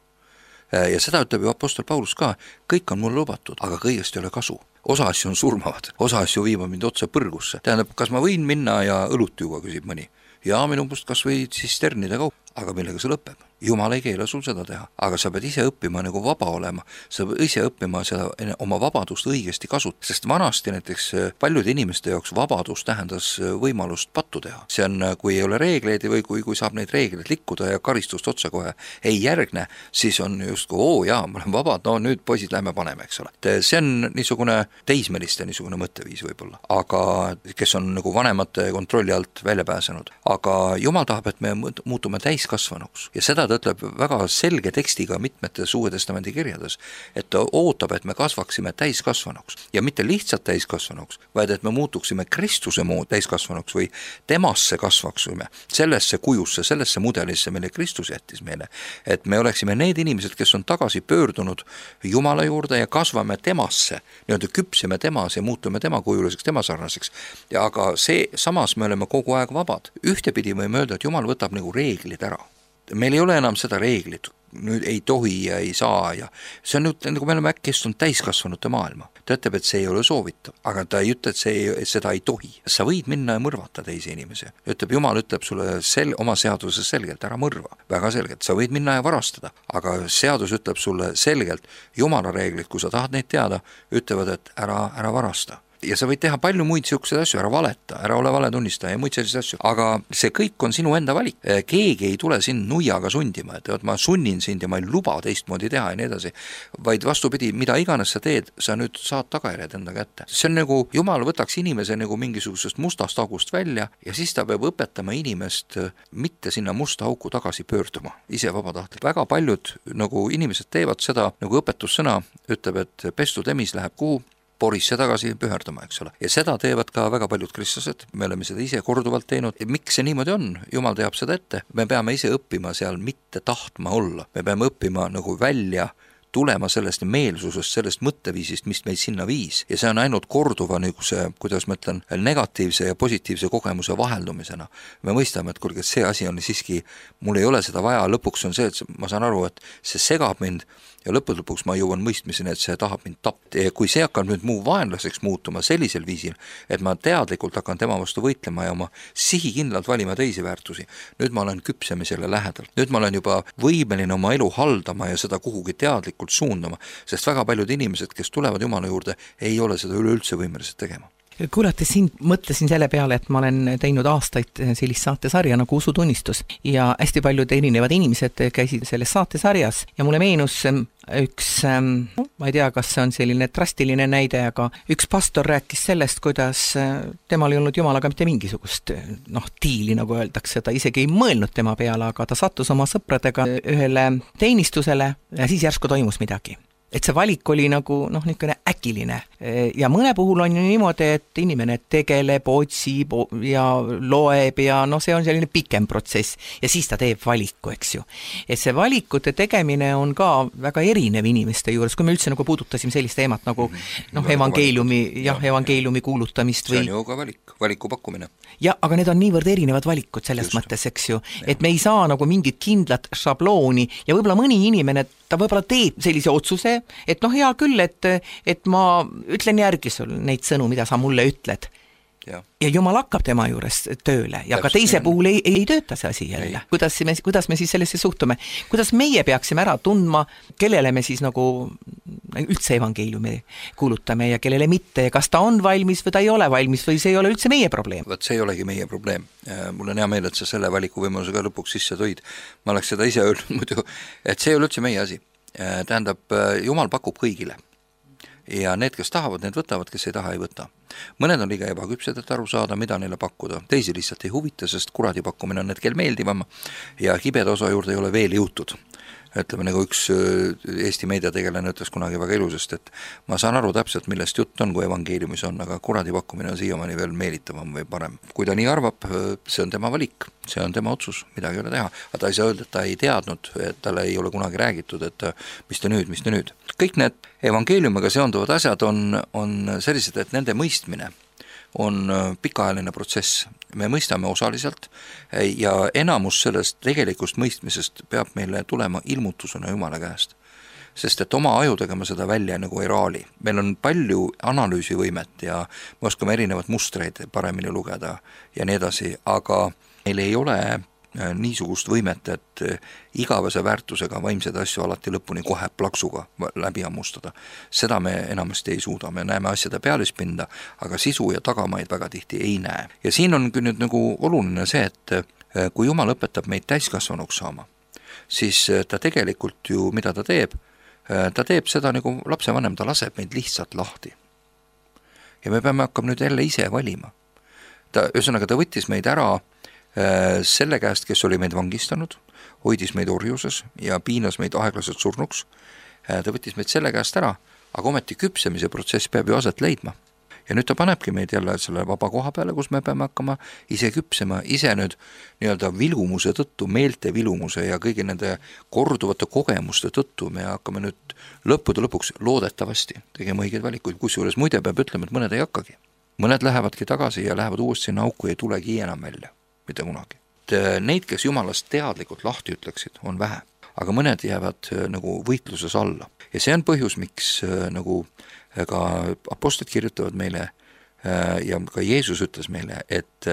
Ja seda ütleb ju apostel Paulus ka, kõik on mulle lubatud, aga kõigest ei ole kasu. Osa asju on surmavad, osa asju viivad mind otse põrgusse. Tähendab, kas ma võin minna ja õlut juua, küsib mõni. Ja minu must kas või tsisternide kaup, aga millega see lõpeb? Jumal ei keela sul seda teha, aga sa pead ise õppima nagu vaba olema, sa pead ise õppima seda oma vabadust õigesti kasutada, sest vanasti näiteks paljude inimeste jaoks vabadus tähendas võimalust pattu teha. See on, kui ei ole reegleid või kui saab neid reegleid likkuda ja karistust otsa kohe ei järgne, siis on just kui, ma olen vabad, no nüüd poisid lähme paneme, eks ole. See on niisugune teismeliste niisugune mõtteviis võib-olla, aga kes on nagu vanemate kontrolli alt välja pääsenud. Aga Jumal tahab, et me muutume täiskasvanuks ja seda ta ütleb väga selge tekstiga mitmetes Uue Testamendi kirjades, et ta ootab, et me kasvaksime täiskasvanuks ja mitte lihtsalt täiskasvanuks, vaid et me muutuksime Kristuse moodi täiskasvanuks või temasse kasvaksime, sellesse kujusse, sellesse mudelisse, mille Kristus jättis meile, et me oleksime need inimesed, kes on tagasi pöördunud Jumala juurde ja kasvame temasse, nii-öelda küpsime temas ja muutume tema kujuliseks, tema sarnaseks. Ja aga samas me oleme kogu aeg vabad. Ühtepidi võime öelda, et Jumal võtab nagu reeglid ära. Meil ei ole enam seda reeglit, nüüd ei tohi ja ei saa ja see on nüüd, nagu me oleme äkki on täiskasvanute maailma. Ta ütleb, et see ei ole soovitav, aga ta ei ütle, et seda ei tohi. Sa võid minna ja mõrvata teisi inimesi. Jumal ütleb sulle oma seaduses selgelt, ära mõrva. Väga selgelt, sa võid minna ja varastada, aga seadus ütleb sulle selgelt, Jumala reeglid, kui sa tahad neid teada, ütlevad, et ära varasta. Ja sa võid teha palju muid siukseid asju, ära valeta, ära ole valetunnistaja ja muid selliseid asju, aga see kõik on sinu enda valik. Keegi ei tule sind nuiaga sundima, et ma sunnin sind ja ma ei luba teistmoodi teha ja nii edasi, vaid vastupidi, mida iganes sa teed, sa nüüd saad tagajärjed enda kätte. See on nagu, Jumal võtaks inimese nagu mingisugusest mustast august välja ja siis ta peab õpetama inimest mitte sinna musta auku tagasi pöörduma, ise vabatahtlik. Väga paljud nagu inimesed teevad seda, nagu õpetussõna ütleb, et pestud emis läheb kuhu, porisse tagasi püherdama, eks ole. Ja seda teevad ka väga paljud kristlased, me oleme seda ise korduvalt teinud. Miks see niimoodi on? Jumal teab seda ette. Me peame ise õppima seal mitte tahtma olla. Me peame õppima nagu välja tulema sellest meelsusest, sellest mõtteviisist, mis meid sinna viis. Ja see on ainult korduva niisuguse, kuidas ma ütlen, negatiivse ja positiivse kogemuse vaheldumisena. Me mõistame, et kuulge, see asi on siiski, mul ei ole seda vaja, lõpuks on see, et ma saan aru, et see segab mind ja lõpuks ma jõuan mõistmiseni, et see tahab mind tappa. Ja kui see hakkab nüüd muu vaenlaseks muutuma sellisel viisil, et ma teadlikult hakkan tema vastu võitlema ja oma sihikindlalt valima teisi väärtusi, nüüd ma olen küpsemisele lähedalt. Nüüd ma olen juba võimeline oma elu haldama ja seda kuhugi teadlikult suundama, sest väga paljud inimesed, kes tulevad Jumala juurde, ei ole seda üleüldse võimelised tegema. Kuulates siin mõtlesin selle peale, et ma olen teinud aastaid sellist saatesarja nagu Usutunnistus ja hästi paljud erinevad inimesed käisid selles saatesarjas ja mulle meenus üks, ma ei tea, kas see on selline drastiline näide, aga üks pastor rääkis sellest, kuidas temal ei olnud Jumalaga mitte mingisugust diili, nagu öeldakse, ta isegi ei mõelnud tema peale, aga ta sattus oma sõpradega ühele teenistusele ja siis järsku toimus midagi. et see valik oli nagu niisugune äkiline ja mõne puhul on ju niimoodi, et inimene tegeleb, otsib ja loeb ja see on selline pikem protsess ja siis ta teeb valiku, eks ju. Et see valikute tegemine on ka väga erinev inimeste juures, kui me üldse nagu puudutasime sellist teemat nagu evangeeliumi kuulutamist või... See on ju ka valiku pakkumine. Ja, aga need on niivõrd erinevad valikud selles mõttes, eks ju, et me ei saa nagu mingit kindlat šablooni ja võib-olla mõni inimene, ta võib-olla teeb sellise otsuse, et hea küll, et ma ütlen järgi sul neid sõnu, mida sa mulle ütled. Ja Jumal hakkab tema juures tööle ja ka teise puhul ei tööta see asi jälle. Kuidas me siis sellesse suhtume? Kuidas meie peaksime ära tundma, kellele me siis nagu üldse evangeeliumi kuulutame ja kellele mitte ja kas ta on valmis või ta ei ole valmis või see ei ole üldse meie probleem? Võt, see ei olegi meie probleem. Mul on hea meel, et sa selle valikuvõimaluse ka lõpuks sisse tõid. Ma oleks seda ise öelnud muidu, et see ei ole üldse meie asi. Tähendab, Jumal pakub kõigile. Ja need, kes tahavad, need võtavad, kes ei taha, ei võta. Mõned on liiga ebaküpsed, et aru saada, mida neile pakkuda. Teisi lihtsalt ei huvita, sest kuradi pakkumine on hetkel meeldivam ja kibeda osa juurde ei ole veel jõutud. Ütleme, nagu üks Eesti meediategelane ütles kunagi väga ilusest, et ma saan aru täpselt, millest jutt on, kui evangeeliumis on, aga kuradi pakkumine on siiamaani veel meelitavam või parem. Kui ta nii arvab, see on tema valik, see on tema otsus, midagi ei ole teha. Aga ta ei saa öelda, et ta ei teadnud, et talle ei ole kunagi räägitud, et mis te nüüd. Kõik need evangeeliumiga seonduvad asjad on sellised, et nende mõistmine on pikaajaline protsess. Me mõistame osaliselt ja enamus sellest tegelikust mõistmisest peab meile tulema ilmutusena Jumala käest. Sest et oma ajudega me seda välja nagu ei raali. Meil on palju analüüsivõimet ja me oskame erinevad mustreid paremini lugeda ja nii edasi, aga meil ei ole niisugust võimet, et igavese väärtusega vaimseid asju alati lõpuni kohe plaksuga läbi ammustada. Seda me enamasti ei suuda, me näeme asjade pealispinda, aga sisu ja tagamaid väga tihti ei näe. Ja siin on nüüd nagu oluline see, et kui Jumal õpetab meid täiskasvanuks saama, siis ta tegelikult ju, mida ta teeb seda nagu lapsevanem, ta laseb meid lihtsalt lahti. Ja me peame hakkama nüüd jälle ise valima. Ühesõnaga, ta võttis meid ära selle käest, kes oli meid vangistanud, hoidis meid orjuses ja piinas meid aeglaselt surnuks. Ta võttis meid selle käest ära, aga ometi küpsemise protsess peab ju aset leidma. Ja nüüd ta panebki meid jälle selle vaba koha peale, kus me peame hakkama ise küpsema, ise nüüd nii-öelda vilumuse tõttu, meelte vilumuse ja kõigi nende korduvate kogemuste tõttu me hakkame nüüd lõppude lõpuks loodetavasti tegema õigeid valikuid, kusjuures muide peab ütlema, et mõned ei hakkagi. Mõned lähevadki tagasi ja lähevad uuesti sinna auku ja ei tulegi enam välja. Mitte kunagi. Neid, kes Jumalast teadlikult lahti ütleksid, on vähe, aga mõned jäävad nagu võitluses alla. Ja see on põhjus, miks nagu ka apostlid kirjutavad meile ja ka Jeesus ütles meile, et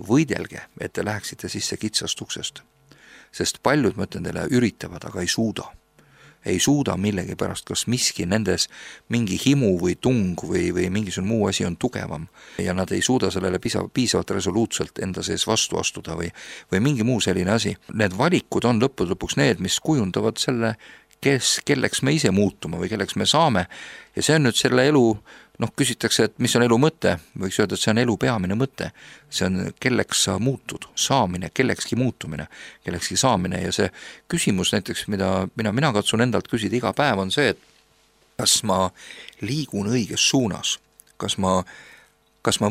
võidelge, et te läheksite sisse kitsast uksest. Sest paljud, ma ütlen teile, üritavad, aga ei suuda millegi pärast, kas miski nendes mingi himu või tung või mingisugune muu asi on tugevam ja nad ei suuda sellele piisavalt resoluutselt enda sees vastu astuda või mingi muu selline asi. Need valikud on lõpuks need, mis kujundavad selle, kelleks me ise muutuma või kelleks me saame ja see on nüüd selle elu, küsitakse, et mis on elu mõte, võiks öelda, et see on elu peamine mõte, see on kelleks sa muutud, saamine, kellekski muutumine, kellekski saamine ja see küsimus näiteks, mida mina katsun endalt küsida iga päev on see, et kas ma liigun õiges suunas, kas ma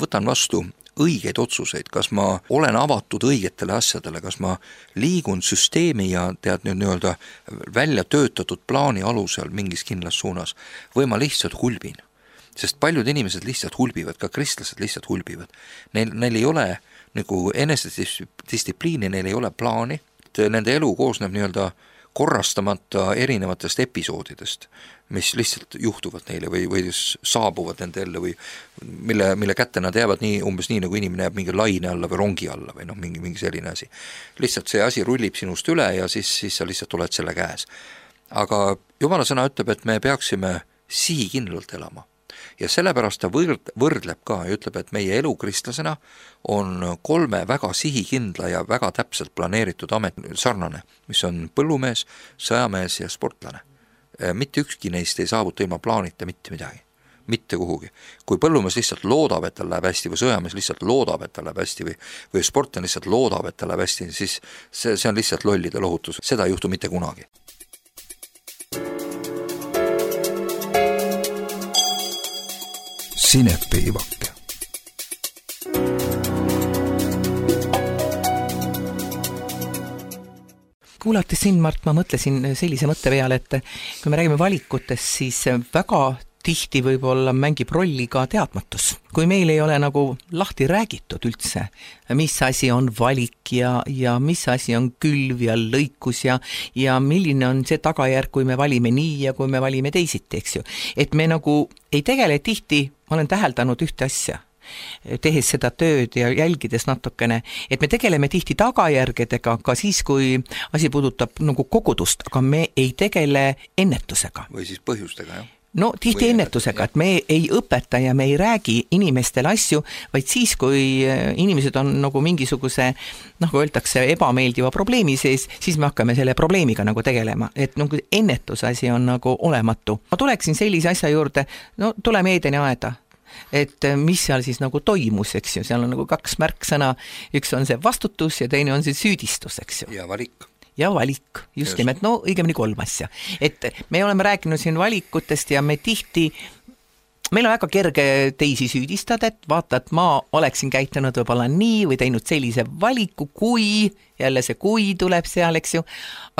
võtan vastu õigeid otsuseid, kas ma olen avatud õigetele asjadele, kas ma liigun süsteemi ja nii-öelda välja töötatud plaani alusel mingis kindlas suunas või ma lihtsalt hulbin. Sest paljud inimesed lihtsalt hulbivad, ka kristlased lihtsalt hulbivad. Neil ei ole nagu enesedistsipliini, neil ei ole plaani, nende elu koosneb nii-öelda korrastamata erinevatest episoodidest, mis lihtsalt juhtuvad neile või saabuvad nende ellu või mille kätte nad jäävad umbes nii, nagu inimene jääb mingi laine alla või rongi alla või mingi selline asi. Lihtsalt see asi rullib sinust üle ja siis sa lihtsalt oled selle käes. Aga Jumala sõna ütleb, et me peaksime sihikindlalt elama. Ja sellepärast ta võrdleb ka ja ütleb, et meie elu kristlasena on 3 väga sihikindla ja väga täpselt planeeritud amet sarnane, mis on põllumees, sõjamees ja sportlane. Mitte ükski neist ei saavuta ilma plaanita mitte midagi, mitte kuhugi. Kui põllumees lihtsalt loodab, et tal läheb hästi või sõjamees lihtsalt loodab, et tal läheb hästi või sportlane lihtsalt loodab, et tal läheb hästi, siis see on lihtsalt lollide lohutus. Seda ei juhtu mitte kunagi. Sinepiivake. Kuulates sind, Mart, ma mõtlesin sellise mõtte peale, et kui me räägime valikutest, siis väga tihti võib-olla mängib rolli ka teadmatus. Kui meil ei ole nagu lahti räägitud üldse, mis asi on valik ja mis asi on külv ja lõikus ja milline on see tagajärg, kui me valime nii ja kui me valime teisiti, eks ju. Et me nagu ei tegele tihti, ma olen täheldanud ühte asja, tehes seda tööd ja jälgides natukene, et me tegeleme tihti tagajärgedega ka siis, kui asi puudutab nagu kogudust, aga me ei tegele ennetusega. Või siis põhjustega, jah. No tihti ennetusega, et me ei õpeta ja me ei räägi inimestele asju, vaid siis, kui inimesed on nagu mingisuguse, nagu öeldakse, ebameeldiva probleemi sees, siis me hakkame selle probleemiga nagu tegelema, et nagu ennetusasi on nagu olematu. Ma tuleksin sellise asja juurde, no tuleme Eedeni aeda, et mis seal siis nagu toimus, eks ju, seal on nagu kaks märksõna, üks on see vastutus ja teine on see süüdistus, eks ju. Ja valik. Ja valik, just nimelt, no õigemini 3 asja. Et me oleme rääkinud siin valikutest ja me tihti, meil on väga kerge teisi süüdistada, et vaata, et ma oleksin käitunud võib-olla nii või teinud sellise valiku, kui, jälle see kui tuleb seal, eks ju,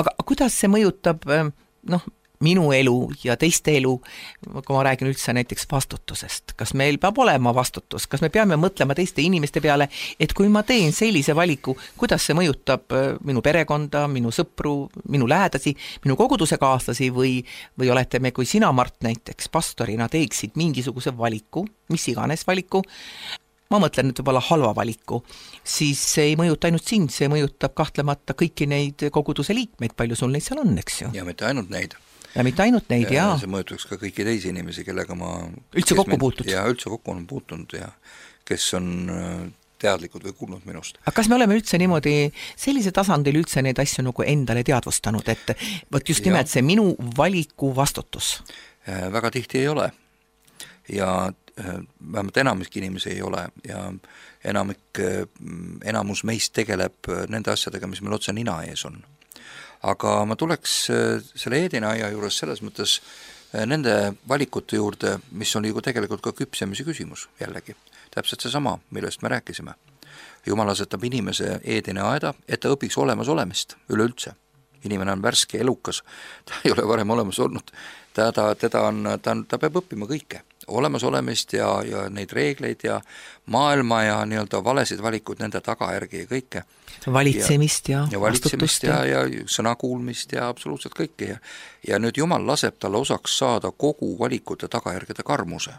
aga kuidas see mõjutab, noh, minu elu ja teiste elu, kui ma räägin üldse näiteks vastutusest. Kas meil peab olema vastutus? Kas me peame mõtlema teiste inimeste peale, et kui ma teen sellise valiku, kuidas see mõjutab minu perekonda, minu sõpru, minu lähedasi, minu koguduse kaaslasi või olete me, kui sina, Mart, näiteks pastorina teeksid mingisuguse valiku, mis iganes valiku, ma mõtlen nüüd võib-olla halva valiku, siis see ei mõjuta ainult sind, see mõjutab kahtlemata kõiki neid koguduse liikmeid, palju sul neid seal on, eks ju? Ja mitte ainult neid. Ja mitte ainult neid, jaa. See mõjutaks ka kõiki teisi inimesi, kellega ma... Üldse kokku puutud. Ja üldse kokku on puutunud ja kes on teadlikud või kuulnud minust. Aga kas me oleme üldse niimoodi sellise tasandil üldse neid asju nagu endale teadvustanud, et võt just nimelt see minu valiku vastutus? Väga tihti ei ole. Ja vähemalt enamik inimesi ei ole ja enamus meist tegeleb nende asjadega, mis meil otse nina ees on. Aga ma tuleks selle Eedeni aia juures selles mõttes nende valikute juurde, mis on ju tegelikult ka küpsemise küsimus jällegi. Täpselt see sama, millest me rääkisime. Jumal asetab inimese Eedeni aeda, et ta õpiks olemas olemist üleüldse. Inimene on värske, elukas, ta ei ole varem olemas olnud. Ta peab õppima kõike. Olemas olemist ja neid reegleid ja maailma ja nii-öelda valesid valikud, nende tagajärgi ja kõike. Valitsemist ja vastutust ja sõnakuulmist ja absoluutselt kõike. Ja nüüd Jumal laseb talle osaks saada kogu valikute tagajärgede karmuse.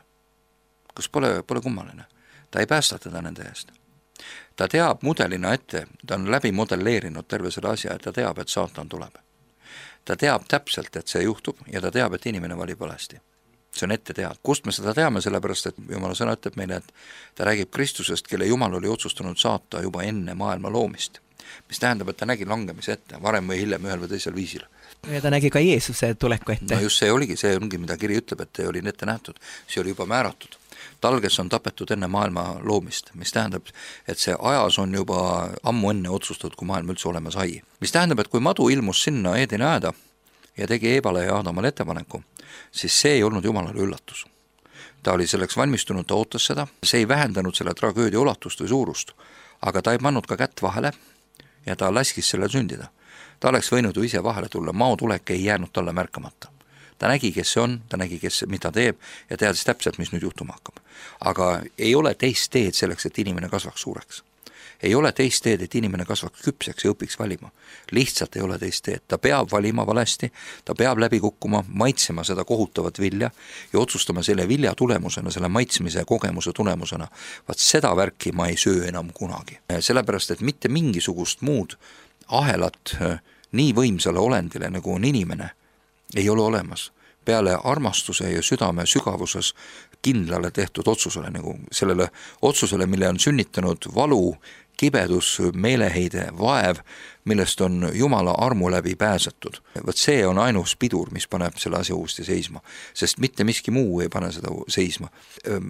Kas pole kummaline? Ta ei päästa teda nende eest. Ta teab mudelina ette, ta on läbi modelleerinud terve selle asja, et ta teab, et saatan tuleb. Ta teab täpselt, et see juhtub ja ta teab, et inimene valib valesti. See on ette teada. Kust me seda teame, sellepärast, et Jumala sõna ütleb meile, et ta räägib Kristusest, kelle Jumal oli otsustanud saata juba enne maailma loomist. Mis tähendab, et ta nägi langemise ette, varem või hiljem ühel või teisel viisil. Ja ta nägi ka Jeesuse tuleku ette. No just see ongi, mida kiri ütleb, et oli ette nähtud. See oli juba määratud. Tal, kes on tapetud enne maailma loomist, mis tähendab, et see ajas on juba ammu enne otsustatud, kui maailm üldse olema sai. Mis tähendab, et kui madu ilmus sinna Eedeni aeda ja tegi Eevale ja Aadamale ettepaneku, siis see ei olnud Jumalale üllatus. Ta oli selleks valmistunud, ta ootas seda, see ei vähendanud selle tragöödia ulatust või suurust, aga ta ei pannud ka kätt vahele ja ta laskis selle sündida. Ta oleks võinud ju ise vahele tulla, maotulek ei jäänud talle märkamata. Ta nägi, kes see on, ta nägi, mida teeb ja teadis täpselt, mis nüüd juhtuma hakkab. Aga ei ole teist teed selleks, et inimene kasvaks suureks. Ei ole teist teed, et inimene kasvaks küpseks ja õpiks valima. Lihtsalt ei ole teist teed. Ta peab valima valesti, ta peab läbi kukkuma, maitsema seda kohutavat vilja ja otsustama selle vilja tulemusena, selle maitsmise kogemuse tulemusena. Vaat seda värki ma ei söö enam kunagi. Sellepärast, et mitte mingisugust muud ahelat nii võimsale olendile, nagu on inimene, ei ole olemas. Peale armastuse ja südame sügavuses kindlale tehtud otsusele, nagu sellele otsusele, mille on sünnitanud valu, kibedus, meeleheide, vaev, millest on Jumala armu läbi pääsetud. Võt see on ainus pidur, mis paneb selle asja uuesti seisma, sest mitte miski muu ei pane seda seisma.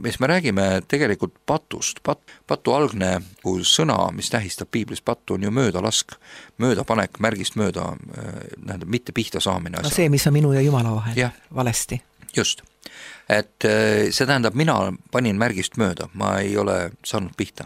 Mis me räägime tegelikult patust. Patu algne sõna, mis tähistab piiblis pattu, on ju möödalask, möödapanek, märgist mööda, mitte pihta saamine asja. No see, mis on minu ja Jumala vahel, valesti. Just. et see tähendab, mina panin märgist mööda, ma ei ole saanud pihta.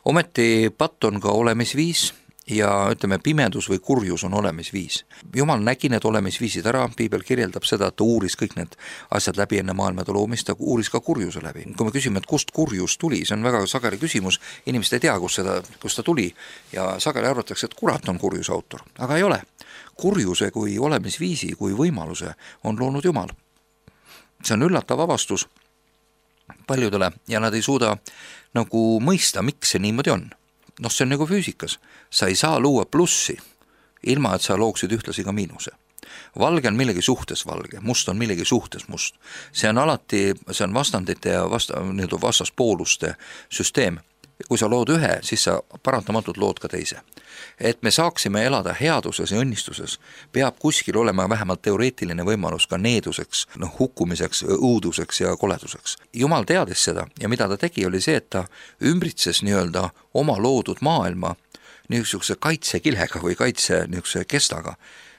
Ometi patt on ka olemisviis ja ütleme, pimedus või kurjus on olemisviis. Jumal nägi need olemisviisid ära, Piibel kirjeldab seda, et ta uuris kõik need asjad läbi enne maailmade loomist, ta uuris ka kurjuse läbi. Kui me küsime, et kust kurjus tuli, see on väga sageli küsimus, inimesed ei tea, kust ta tuli ja sageli arvatakse, et kurat on kurjuse autor, aga ei ole. Kurjuse kui olemisviisi, kui võimaluse on loonud Jumal. See on üllatav avastus paljudele ja nad ei suuda nagu mõista, miks see niimoodi on. See on nagu füüsikas. Sa ei saa luua plussi, ilma et sa looksid ühtlasi ka miinuse. Valge on millegi suhtes valge, must on millegi suhtes must. See on vastandite ja vastaspooluste süsteem. Kui sa lood ühe, siis sa paratamatult lood ka teise. Et me saaksime elada headuses ja õnnistuses, peab kuskil olema vähemalt teoreetiline võimalus ka needuseks, hukkumiseks, õuduseks ja koleduseks. Jumal teadis seda ja mida ta tegi, oli see, et ta ümbritses nii-öelda oma loodud maailma niisuguse kaitsekilega või niisuguse kestaga.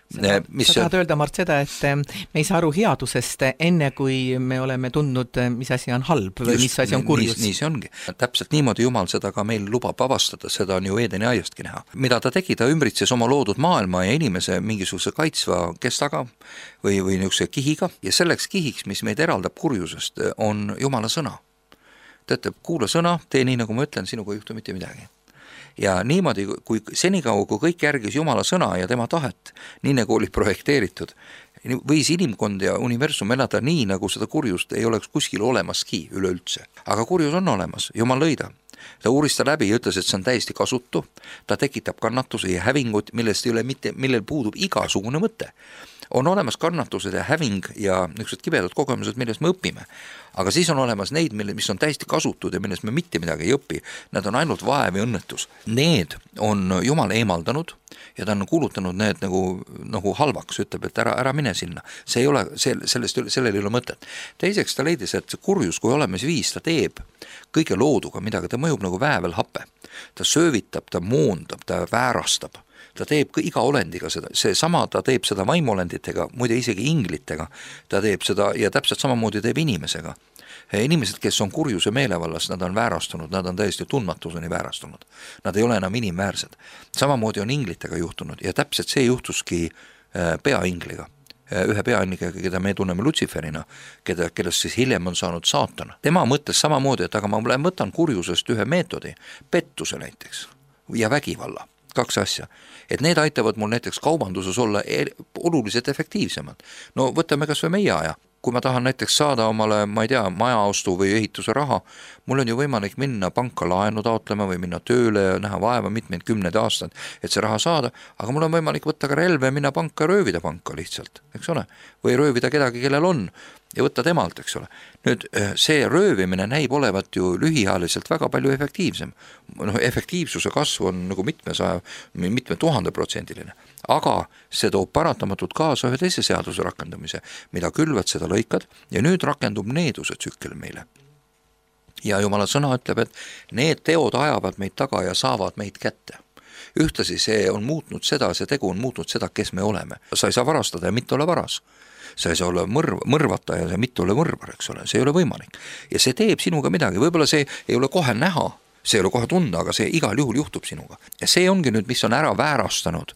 Sa tahad öelda, Mart, seda, et me ei saa aru headusest enne, kui me oleme tundnud, mis asi on halb või mis asi on kurjus. Nii see ongi. Täpselt niimoodi Jumal seda ka meil lubab avastada, seda on ju Eedeni aiastki näha. Mida ta tegi, ta ümbritses oma loodud maailma ja inimese mingisuguse kaitsva kestaga või niisuguse kihiga ja selleks kihiks, mis meid eraldab kurjusest, on Jumala sõna. Ta ütleb, kuula sõna, tee nii, nagu ma ütlen, sinuga ei juhtu mitte midagi. Ja niimoodi, kui senikaua, kui kõik järgis Jumala sõna ja tema tahet, nii nagu oli projekteeritud, võis inimkond ja universum elada nii, nagu seda kurjust ei oleks kuskil olemaski üleüldse. Aga kurjus on olemas, Jumal lõi ta. Ta uuris ta läbi ja ütles, et see on täiesti kasutu, ta tekitab kannatuse ja hävingut, millel puudub igasugune mõte. On olemas kannatused ja häving ja niisugused kibedad kogemused, millest me õpime. Aga siis on olemas neid, mis on täiesti kasutud ja millest me mitte midagi ei õpi. Nad on ainult vaev ja õnnetus. Need on Jumal eemaldanud ja ta on kuulutanud need nagu halvaks, ütleb, et ära mine sinna. See ei ole, sellel ei ole mõtet. Teiseks ta leidis, et see kurjus, kui olemisviis, ta teeb kõige looduga midagi, ta mõjub nagu väävelhape. Ta söövitab, ta moondab, ta väärastab. Ta teeb iga olendiga seda, ta teeb seda vaimolenditega, muide isegi inglitega, ta teeb seda ja täpselt samamoodi teeb inimesega. Inimesed, kes on kurjuse meelevallas, nad on väärastunud, nad on täiesti tundmatuseni väärastunud. Nad ei ole enam inimväärsed. Samamoodi on inglitega juhtunud ja täpselt see juhtuski peaingliga. Ühe peaingliga, keda me tunneme Lutsiferina, kellest siis hiljem on saanud saatan. Tema mõtles samamoodi, et aga ma võtan kurjusest ühe meetodi, pettuse näiteks ja vägivalla. 2 asja, et need aitavad mul näiteks kaubanduses olla oluliselt efektiivsemad. No võtame kas või meie aja. Kui ma tahan näiteks saada omale, ma ei tea, majaostu või ehituse raha, mul on ju võimalik minna panka laenu taotlema või minna tööle ja näha vaeva mitmeid 10 aastat, et see raha saada, aga mul on võimalik võtta ka relve ja minna panka ja röövida panka lihtsalt, eks ole? Või röövida kedagi, kellel on ja võtta temalt, eks ole. Nüüd see röövimine näib olevat ju lühiajaliselt väga palju efektiivsem. Efektiivsuse kasv on nagu mitme 1000%, aga see toob paratamatult kaasa ühe teise seaduse rakendamise, mida külvad, seda lõikad ja nüüd rakendub needuse tsükkel meile. Ja Jumala sõna ütleb, et need teod ajavad meid taga ja saavad meid kätte. Ühtlasi see tegu on muutnud seda, kes me oleme. Sa ei saa varastada ja mitte ole varas. Sa ei saa olla mõrvata ja mitte ole mõrvar, eks ole, see ei ole võimalik. Ja see teeb sinuga midagi, võib-olla see ei ole kohe näha, see ei ole kohe tunda, aga see igal juhul juhtub sinuga. Ja see ongi nüüd, mis on ära väärastanud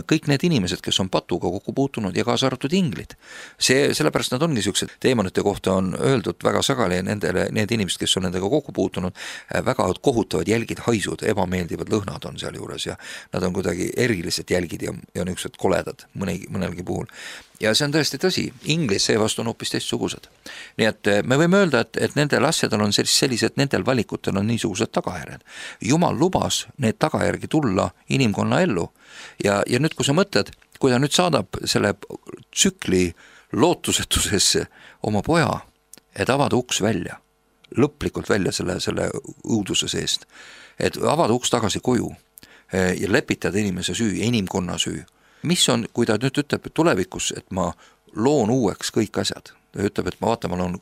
kõik need inimesed, kes on patuga kokku puutunud ja kaasa arvatud inglid. Sellepärast nad ongi niisugused teemonite kohta on öeldud väga sageli need inimesed, kes on nendega kokku puutunud, väga kohutavad jälgid, haisud, ebameeldivad lõhnad on seal juures ja nad on kuidagi erilised jälgid ja niisugused koledad mõnelgi puhul. Ja see on tõesti tõsi, inglis seevastu on hoopis teistsugused. Nii et me võime öelda, et nendel asjadel on sellised, nendel valikutel on niisugused tagajärjed. Jumal lubas need tagajärgi tulla inimkonna ellu. Ja nüüd, kui sa mõtled, kui ta nüüd saadab selle tsükli lootusetusesse oma poja, et avada uks välja, lõplikult välja selle õuduse seest, et avada uks tagasi koju ja lepitada inimese süü, inimkonna süü. Mis on, kui ta nüüd ütleb tulevikus, et ma loon uueks kõik asjad, ta ütleb, et ma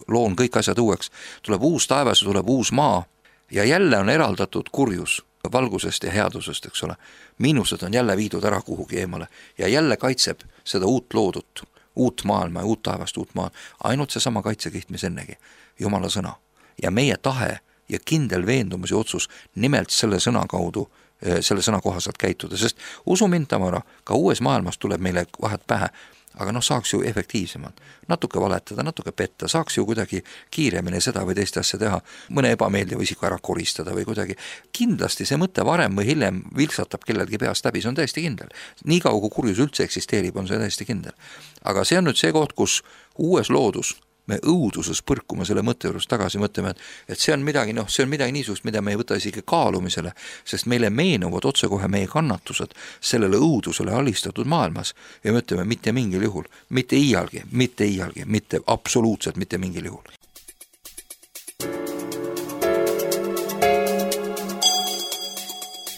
loon kõik asjad uueks, tuleb uus taevas, tuleb uus maa ja jälle on eraldatud kurjus valgusest ja headusest, eks ole. Miinused on jälle viidud ära kuhugi eemale ja jälle kaitseb seda uut loodut uut maailma ja uut taevast, uut maa, ainult seesama kaitsekiht, mis ennegi, Jumala sõna. Ja meie tahe ja kindel veendumus ja otsus nimelt selle sõna kaudu, selle sõna kohaselt käituda, sest usu mind, Tamara, ka uues maailmas tuleb meile vahet pähe, aga saaks ju efektiivsemalt, natuke valetada, natuke petta, saaks ju kuidagi kiiremini seda või teist asja teha, mõne ebameeldiva isiku ära koristada või kuidagi. Kindlasti see mõte varem või hiljem vilksatab kellelgi peast läbi, see on täiesti kindel. Nii kaua, kui kurjus üldse eksisteerib, on see täiesti kindel. Aga see on nüüd see koht, kus uues loodus me õuduses põrkume selle mõtte juures tagasi, mõtleme, et see on midagi, see on midagi niisugust, mida me ei võta isegi kaalumisele, sest meile meenuvad otsekohe meie kannatused sellele õudusele alistatud maailmas ja me ütleme mitte mingil juhul, mitte iialgi, mitte absoluutselt mitte mingil juhul.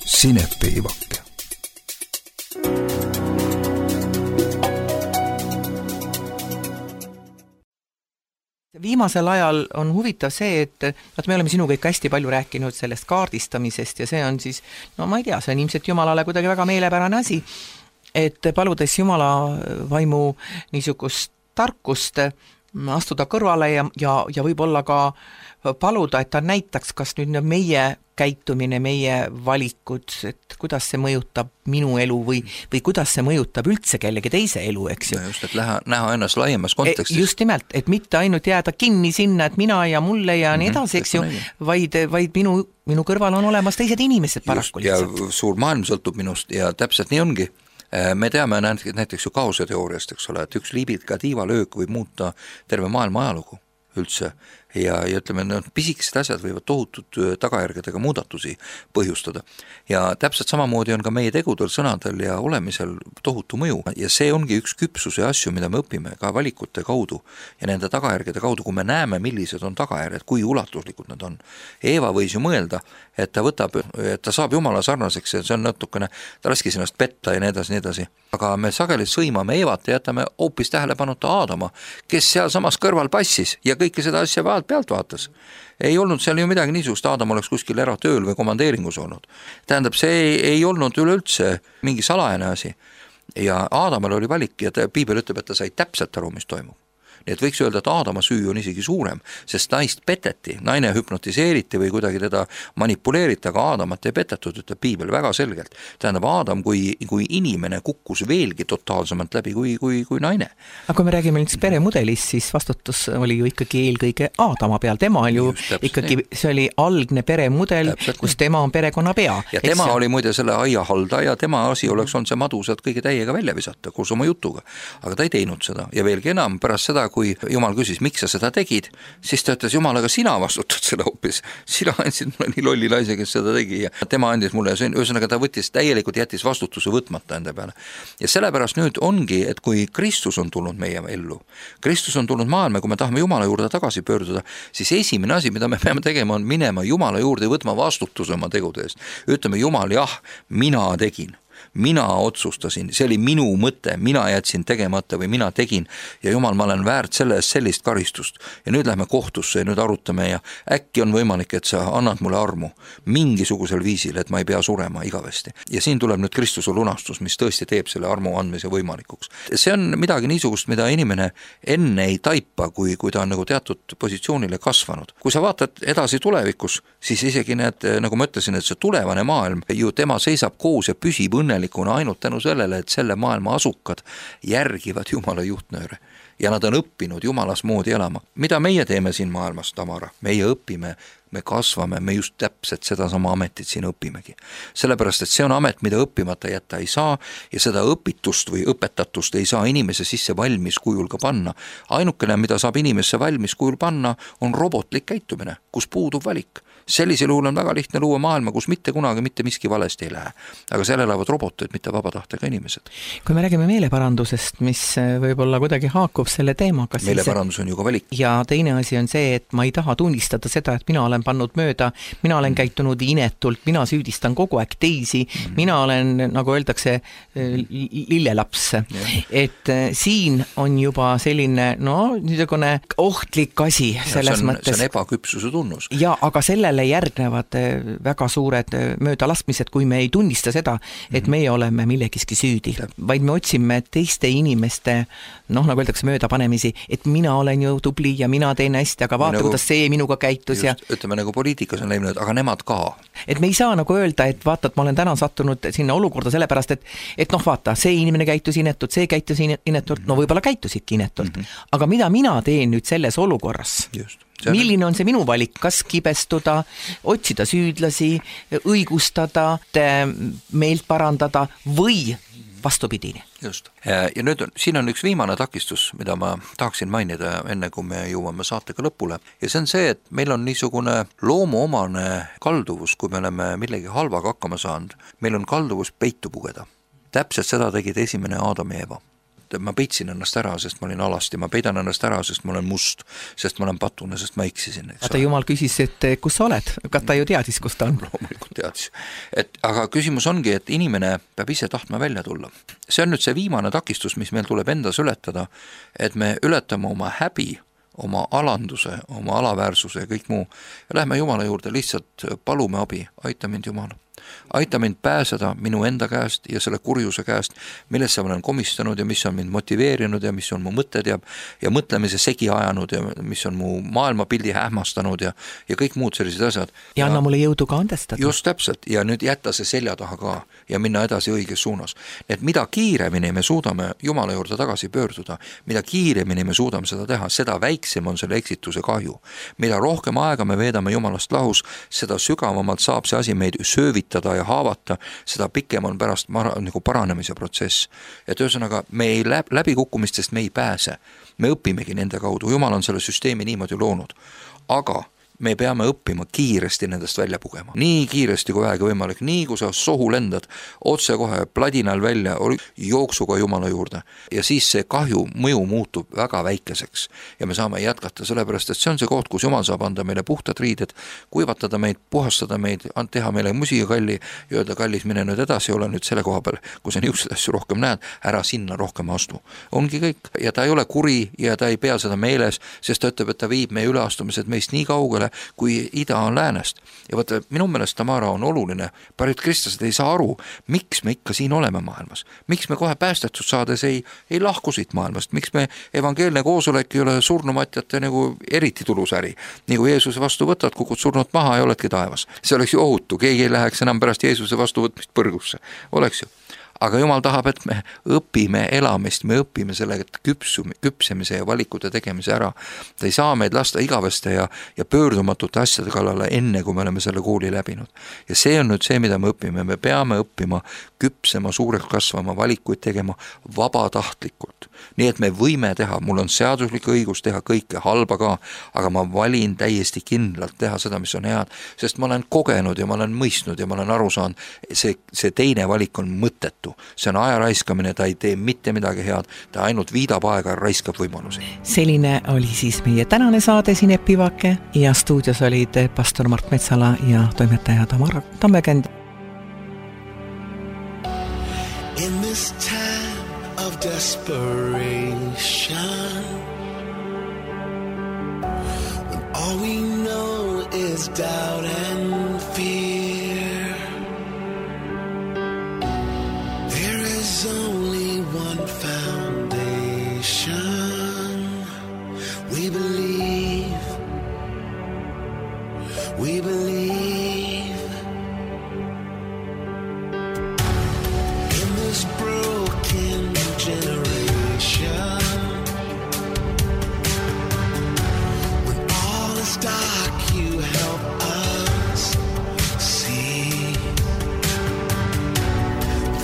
Sinepiivake. Viimasel ajal on huvitav see, et me oleme sinuga ikka hästi palju rääkinud sellest kaardistamisest ja see on siis, ma ei tea, see on ilmselt Jumalale kuidagi väga meelepärane asi, et paludes Jumala vaimu niisugust tarkust astuda kõrvale ja võib-olla ka paluda, et ta näitaks, kas nüüd meie käitumine, meie valikud, et kuidas see mõjutab minu elu või kuidas see mõjutab üldse kellegi teise elu, eks ju. Just, et näha ennast laiemas kontekstis. Just nimelt, et mitte ainult jääda kinni sinna, et mina ja mulle ja nii edasi, eks ju, vaid minu kõrval on olemas teised inimesed paraku lihtsalt. Ja suur maailm sõltub minust ja täpselt nii ongi. Me teame näiteks ju kaoseteooriast, eks ole, et üks liibika tiivalöök võib muuta terve maailma ajalugu üldse ja ütleme, pisikesed asjad võivad tohutud tagajärgedega muudatusi põhjustada. Ja täpselt samamoodi on ka meie tegudel, sõnadel ja olemisel tohutu mõju. Ja see ongi üks küpsuse asju, mida me õpime ka valikute kaudu ja nende tagajärgede kaudu, kui me näeme, millised on tagajärjed, kui ulatuslikud nad on. Eeva võis ju mõelda, et ta saab Jumala sarnaseks ja see on natukene, ta laskis ennast petta ja nii edasi. Aga me sageli sõimame Eevat ja jätame hoopis tähelepanuta Aadama, kes seal samas kõrval passis ja kõike seda asja pealt vaatas. Ei olnud seal ju midagi niisugust, Aadam oleks kuskil eratööl või komandeeringus olnud. Tähendab, see ei olnud üleüldse mingi salajane asi. Ja Aadamal oli valik ja Piibel ütleb, et ta sai täpselt aru, mis toimub. Nii et võiks öelda, et Aadama süü on isegi suurem, sest naist peteti, naine hüpnotiseeriti või kuidagi teda manipuleeriti, aga Aadamat ei petetud, ütleb Piibel väga selgelt. Tähendab, Aadam kui inimene kukkus veelgi totaalsemalt läbi kui naine. Aga kui me räägime nüüd peremudelist, siis vastutus oli ju ikkagi eelkõige Aadama peal. Tema oli ju ikkagi, see oli algne peremudel, kus tema on perekonna pea. Ja tema oli muide selle aia haldaja, tema asi oleks olnud see madu sealt kõige täiega välja visata koos oma jutuga. Aga ta ei teinud seda ja veelgi enam pärast seda, kui Jumal küsis, miks sa seda tegid, siis ta ütles, Jumal, aga sina vastutad seda hoopis. Sina andsid mulle nii lolli naise, kes seda tegi ja tema andis mulle, ühesõnaga ta täielikult jättis vastutuse võtmata enda peale. Ja sellepärast nüüd ongi, et kui Kristus on tulnud meie ellu, Kristus on tulnud maailma, kui me tahame Jumala juurde tagasi pöörduda, siis esimene asi, mida me peame tegema, on minema Jumala juurde ja võtma vastutuse oma tegude eest. Ütleme, Jumal, jah, mina tegin. Mina otsustasin, see oli minu mõte, mina jätsin tegemata või mina tegin ja Jumal, ma olen väärt selle eest sellist karistust ja nüüd lähme kohtusse ja nüüd arutame ja äkki on võimalik, et sa annad mulle armu mingisugusel viisil, et ma ei pea surema igavesti. Ja siin tuleb nüüd Kristuse lunastus, mis tõesti teeb selle armu andmise võimalikuks. See on midagi niisugust, mida inimene enne ei taipa, kui ta on nagu teatud positsioonile kasvanud. Kui sa vaatad edasi tulevikus, siis isegi nagu ma ütlesin, et see tulevane maailm ju tema seisab koos ja püsib õnnelikuna ainult tänu sellele, et selle maailma asukad järgivad Jumala juhtnööre ja nad on õppinud Jumalas moodi elama. Mida meie teeme siin maailmas, Tamara? Meie õpime, me kasvame, me just täpselt seda sama ametit siin õpimegi. Sellepärast, et see on amet, mida õppimata jätta ei saa ja seda õpitust või õpetatust ei saa inimese sisse valmis kujul ka panna. Ainukene, mida saab inimesse valmis kujul panna, on robotlik käitumine, kus puudub valik. Sellisel juhul on väga lihtne luua maailma, kus mitte kunagi mitte miski valesti ei lähe. Aga seal elavad robotid, mitte vabatahtega inimesed. Kui me räägime meeleparandusest, mis võib-olla kuidagi haakub selle teemaga. Meeleparandus on ju ka valik. Ja teine asi on see, et ma ei taha tunnistada seda, et mina olen pannud mööda, mina olen käitunud inetult, mina süüdistan kogu aeg teisi, mina olen, nagu öeldakse, lillelaps. Et siin on juba selline, niisugune ohtlik asi selles mõttes. See on ebaküpsuse tunnus. Ja, aga sellele sellele järgnevad väga suured möödalaskmised, kui me ei tunnista seda, et meie oleme millegiski süüdi, vaid me otsime teiste inimeste, nagu öeldakse, möödapanemisi, et mina olen ju tubli ja mina teen hästi, aga vaata, kuidas see minuga käitus. Just, ütleme nagu poliitikas on läinud, aga nemad ka. Et me ei saa nagu öelda, et vaata, et ma olen täna sattunud sinna olukorda sellepärast, et vaata, see inimene käitus inetult, see käitus inetult, võib-olla käitusidki inetult. Aga mida mina teen nüüd selles olukorras? Just. Milline on see minu valik, kas kibestuda, otsida süüdlasi, õigustada, meelt parandada või vastupidini? Just. Ja nüüd siin on üks viimane takistus, mida ma tahaksin mainida enne, kui me jõuame saatega lõpule. Ja see on see, et meil on niisugune loomuomane kalduvus, kui me oleme millegi halvaga hakkama saanud. Meil on kalduvus peitu pugeda. Täpselt seda tegid esimene Aadam ja Eva. Ma peitsin ennast ära, sest ma olin alasti, ma peidan ennast ära, sest ma olen must, sest ma olen patune, sest ma eksisin. Aga Jumal küsis, et kus sa oled? Kas ta ju teadis, kus ta on? Loomulikult teadis. Aga küsimus ongi, et inimene peab ise tahtma välja tulla. See on nüüd see viimane takistus, mis meil tuleb endas ületada, et me ületame oma häbi, oma alanduse, oma alaväärsuse ja kõik muu. Ja lähme Jumala juurde, lihtsalt palume abi, aita mind Jumal. Aita mind pääseda minu enda käest ja selle kurjuse käest, millesse ma olen komistanud ja mis on mind motiveerinud ja mis on mu mõtted ja mõtlemise segi ajanud ja mis on mu maailmapildi hämastanud ja kõik muud sellised asjad. Ja anna mulle jõudu ka andestada. Just täpselt ja nüüd jätta see selja taha ka ja minna edasi õiges suunas. Et mida kiiremini me suudame Jumala juurde tagasi pöörduda, mida kiiremini me suudame seda teha, seda väiksem on selle eksituse kahju. Mida rohkem aega me veedame Jumalast lahus, seda sügavamalt saab see asi meid söövitada ja haavata, seda pikem on pärast nagu paranemise protsess. Et ühesõnaga, me ei läbikukkumistest me ei pääse. Me õpimegi nende kaudu. Jumal on selle süsteemi niimoodi loonud. Aga me peame õppima kiiresti nendest välja pugema. Nii kiiresti kui vähegi võimalik, nii kui sa sohu lendad, otse kohe pladinal välja, jooksuga Jumala juurde. Ja siis see kahju mõju muutub väga väikeseks ja me saame jätkata, sellepärast, et see on see koht, kus Jumal saab anda meile puhtad riided, kuivatada meid, puhastada meid, teha meile musiikalli ja öelda, kallis, mine nüüd edasi, ole nüüd selle koha peal, kui sa niisugused asju rohkem näed, ära sinna rohkem astu. Ongi kõik ja ta ei ole kuri ja ta ei pea seda meeles, sest ta ütleb, et ta viib meie üleastumised meist nii kaugele, kui ida on läänest. Ja võtta, minu meelest Tamara on oluline. Paljud kristlased ei saa aru, miks me ikka siin oleme maailmas. Miks me kohe päästetud saades ei lahku siit maailmast. Miks me evangeelne koosolek ei ole surnumatjate nagu eriti tulusäri. Nii kui Jeesuse vastu võtad, kukud surnut maha ja oledki taevas. See oleks ju ohutu. Keegi ei läheks enam pärast Jeesuse vastu võtmist põrgusse. Oleks ju. Aga Jumal tahab, et me õpime elamist, me õpime selle küpsemise ja valikute tegemise ära. Ta ei saa meid lasta igaveste ja pöördumatute asjade kallale enne, kui me oleme selle kooli läbinud. Ja see on nüüd see, mida me õpime. Me peame õppima küpsema, suureks kasvama, valikuid tegema vabatahtlikult. Nii et me võime teha, mul on seaduslik õigus teha kõike halba ka, aga ma valin täiesti kindlalt teha seda, mis on head, sest ma olen kogenud ja ma olen mõistnud ja ma olen aru saanud, see teine valik on mõttetu. See on aja raiskamine, ta ei tee mitte midagi head, ta ainult viidab aega ja raiskab võimalusi. Selline oli siis meie tänane saade siin Epivake ja stuudios olid pastor Mart Metsala ja toimetaja Tamara Tammekend. In this time of desperation, when all we know is doubt and fear, there is only one foundation. We believe, we believe in this broken generation. When all is dark, you help us see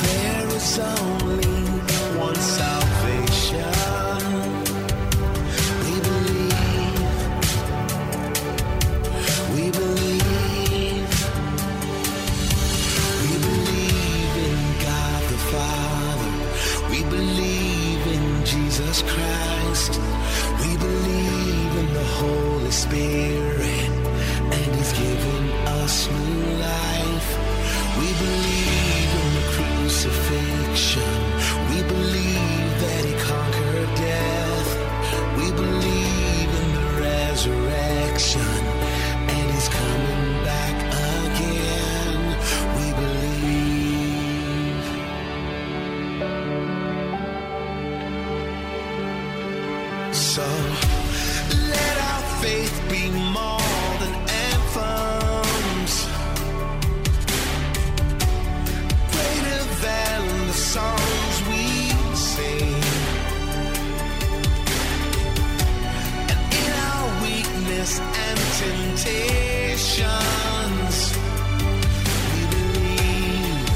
there is only one salvation. We believe, we believe, we believe in God the Father. We believe in Jesus Christ. We believe in the Holy Spirit, and He's given us new life. We believe in the crucifixion. We believe that He conquered death. We believe in the resurrection, and He's coming back. faith be more than anthems, greater than the songs we sing. And in our weakness and temptations, we believe.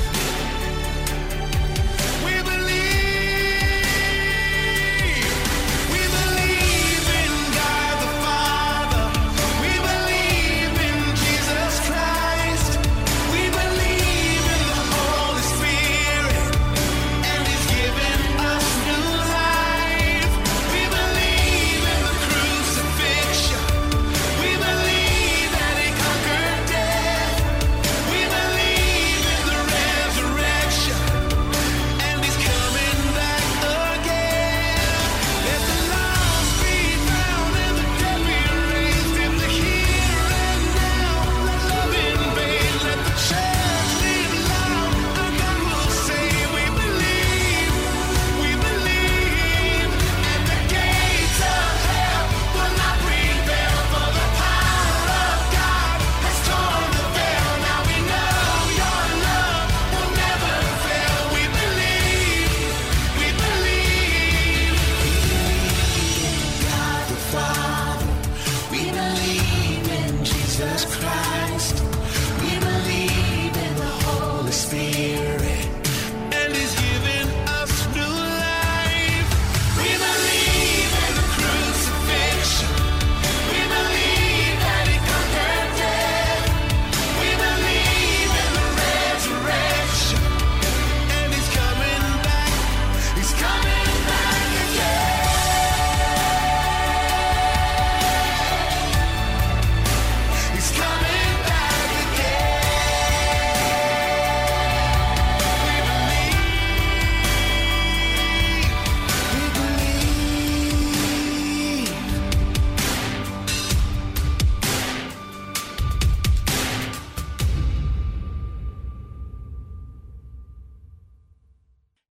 We believe. We believe in God the Father. We believe in Jesus Christ. We believe in the Holy Spirit, and He's given us new life. We believe in the crucifixion. We believe that He conquered death. We believe in the resurrection, and He's coming back again. Let the lost be found and the dead be raised in the here and now. Let love invade, let the church live loud. Our God will say, we believe, and the gates of hell will not prevail, for the power of God has torn the veil. Now we know your love will never fail. We believe, we believe. God the Father, we believe in Jesus Christ.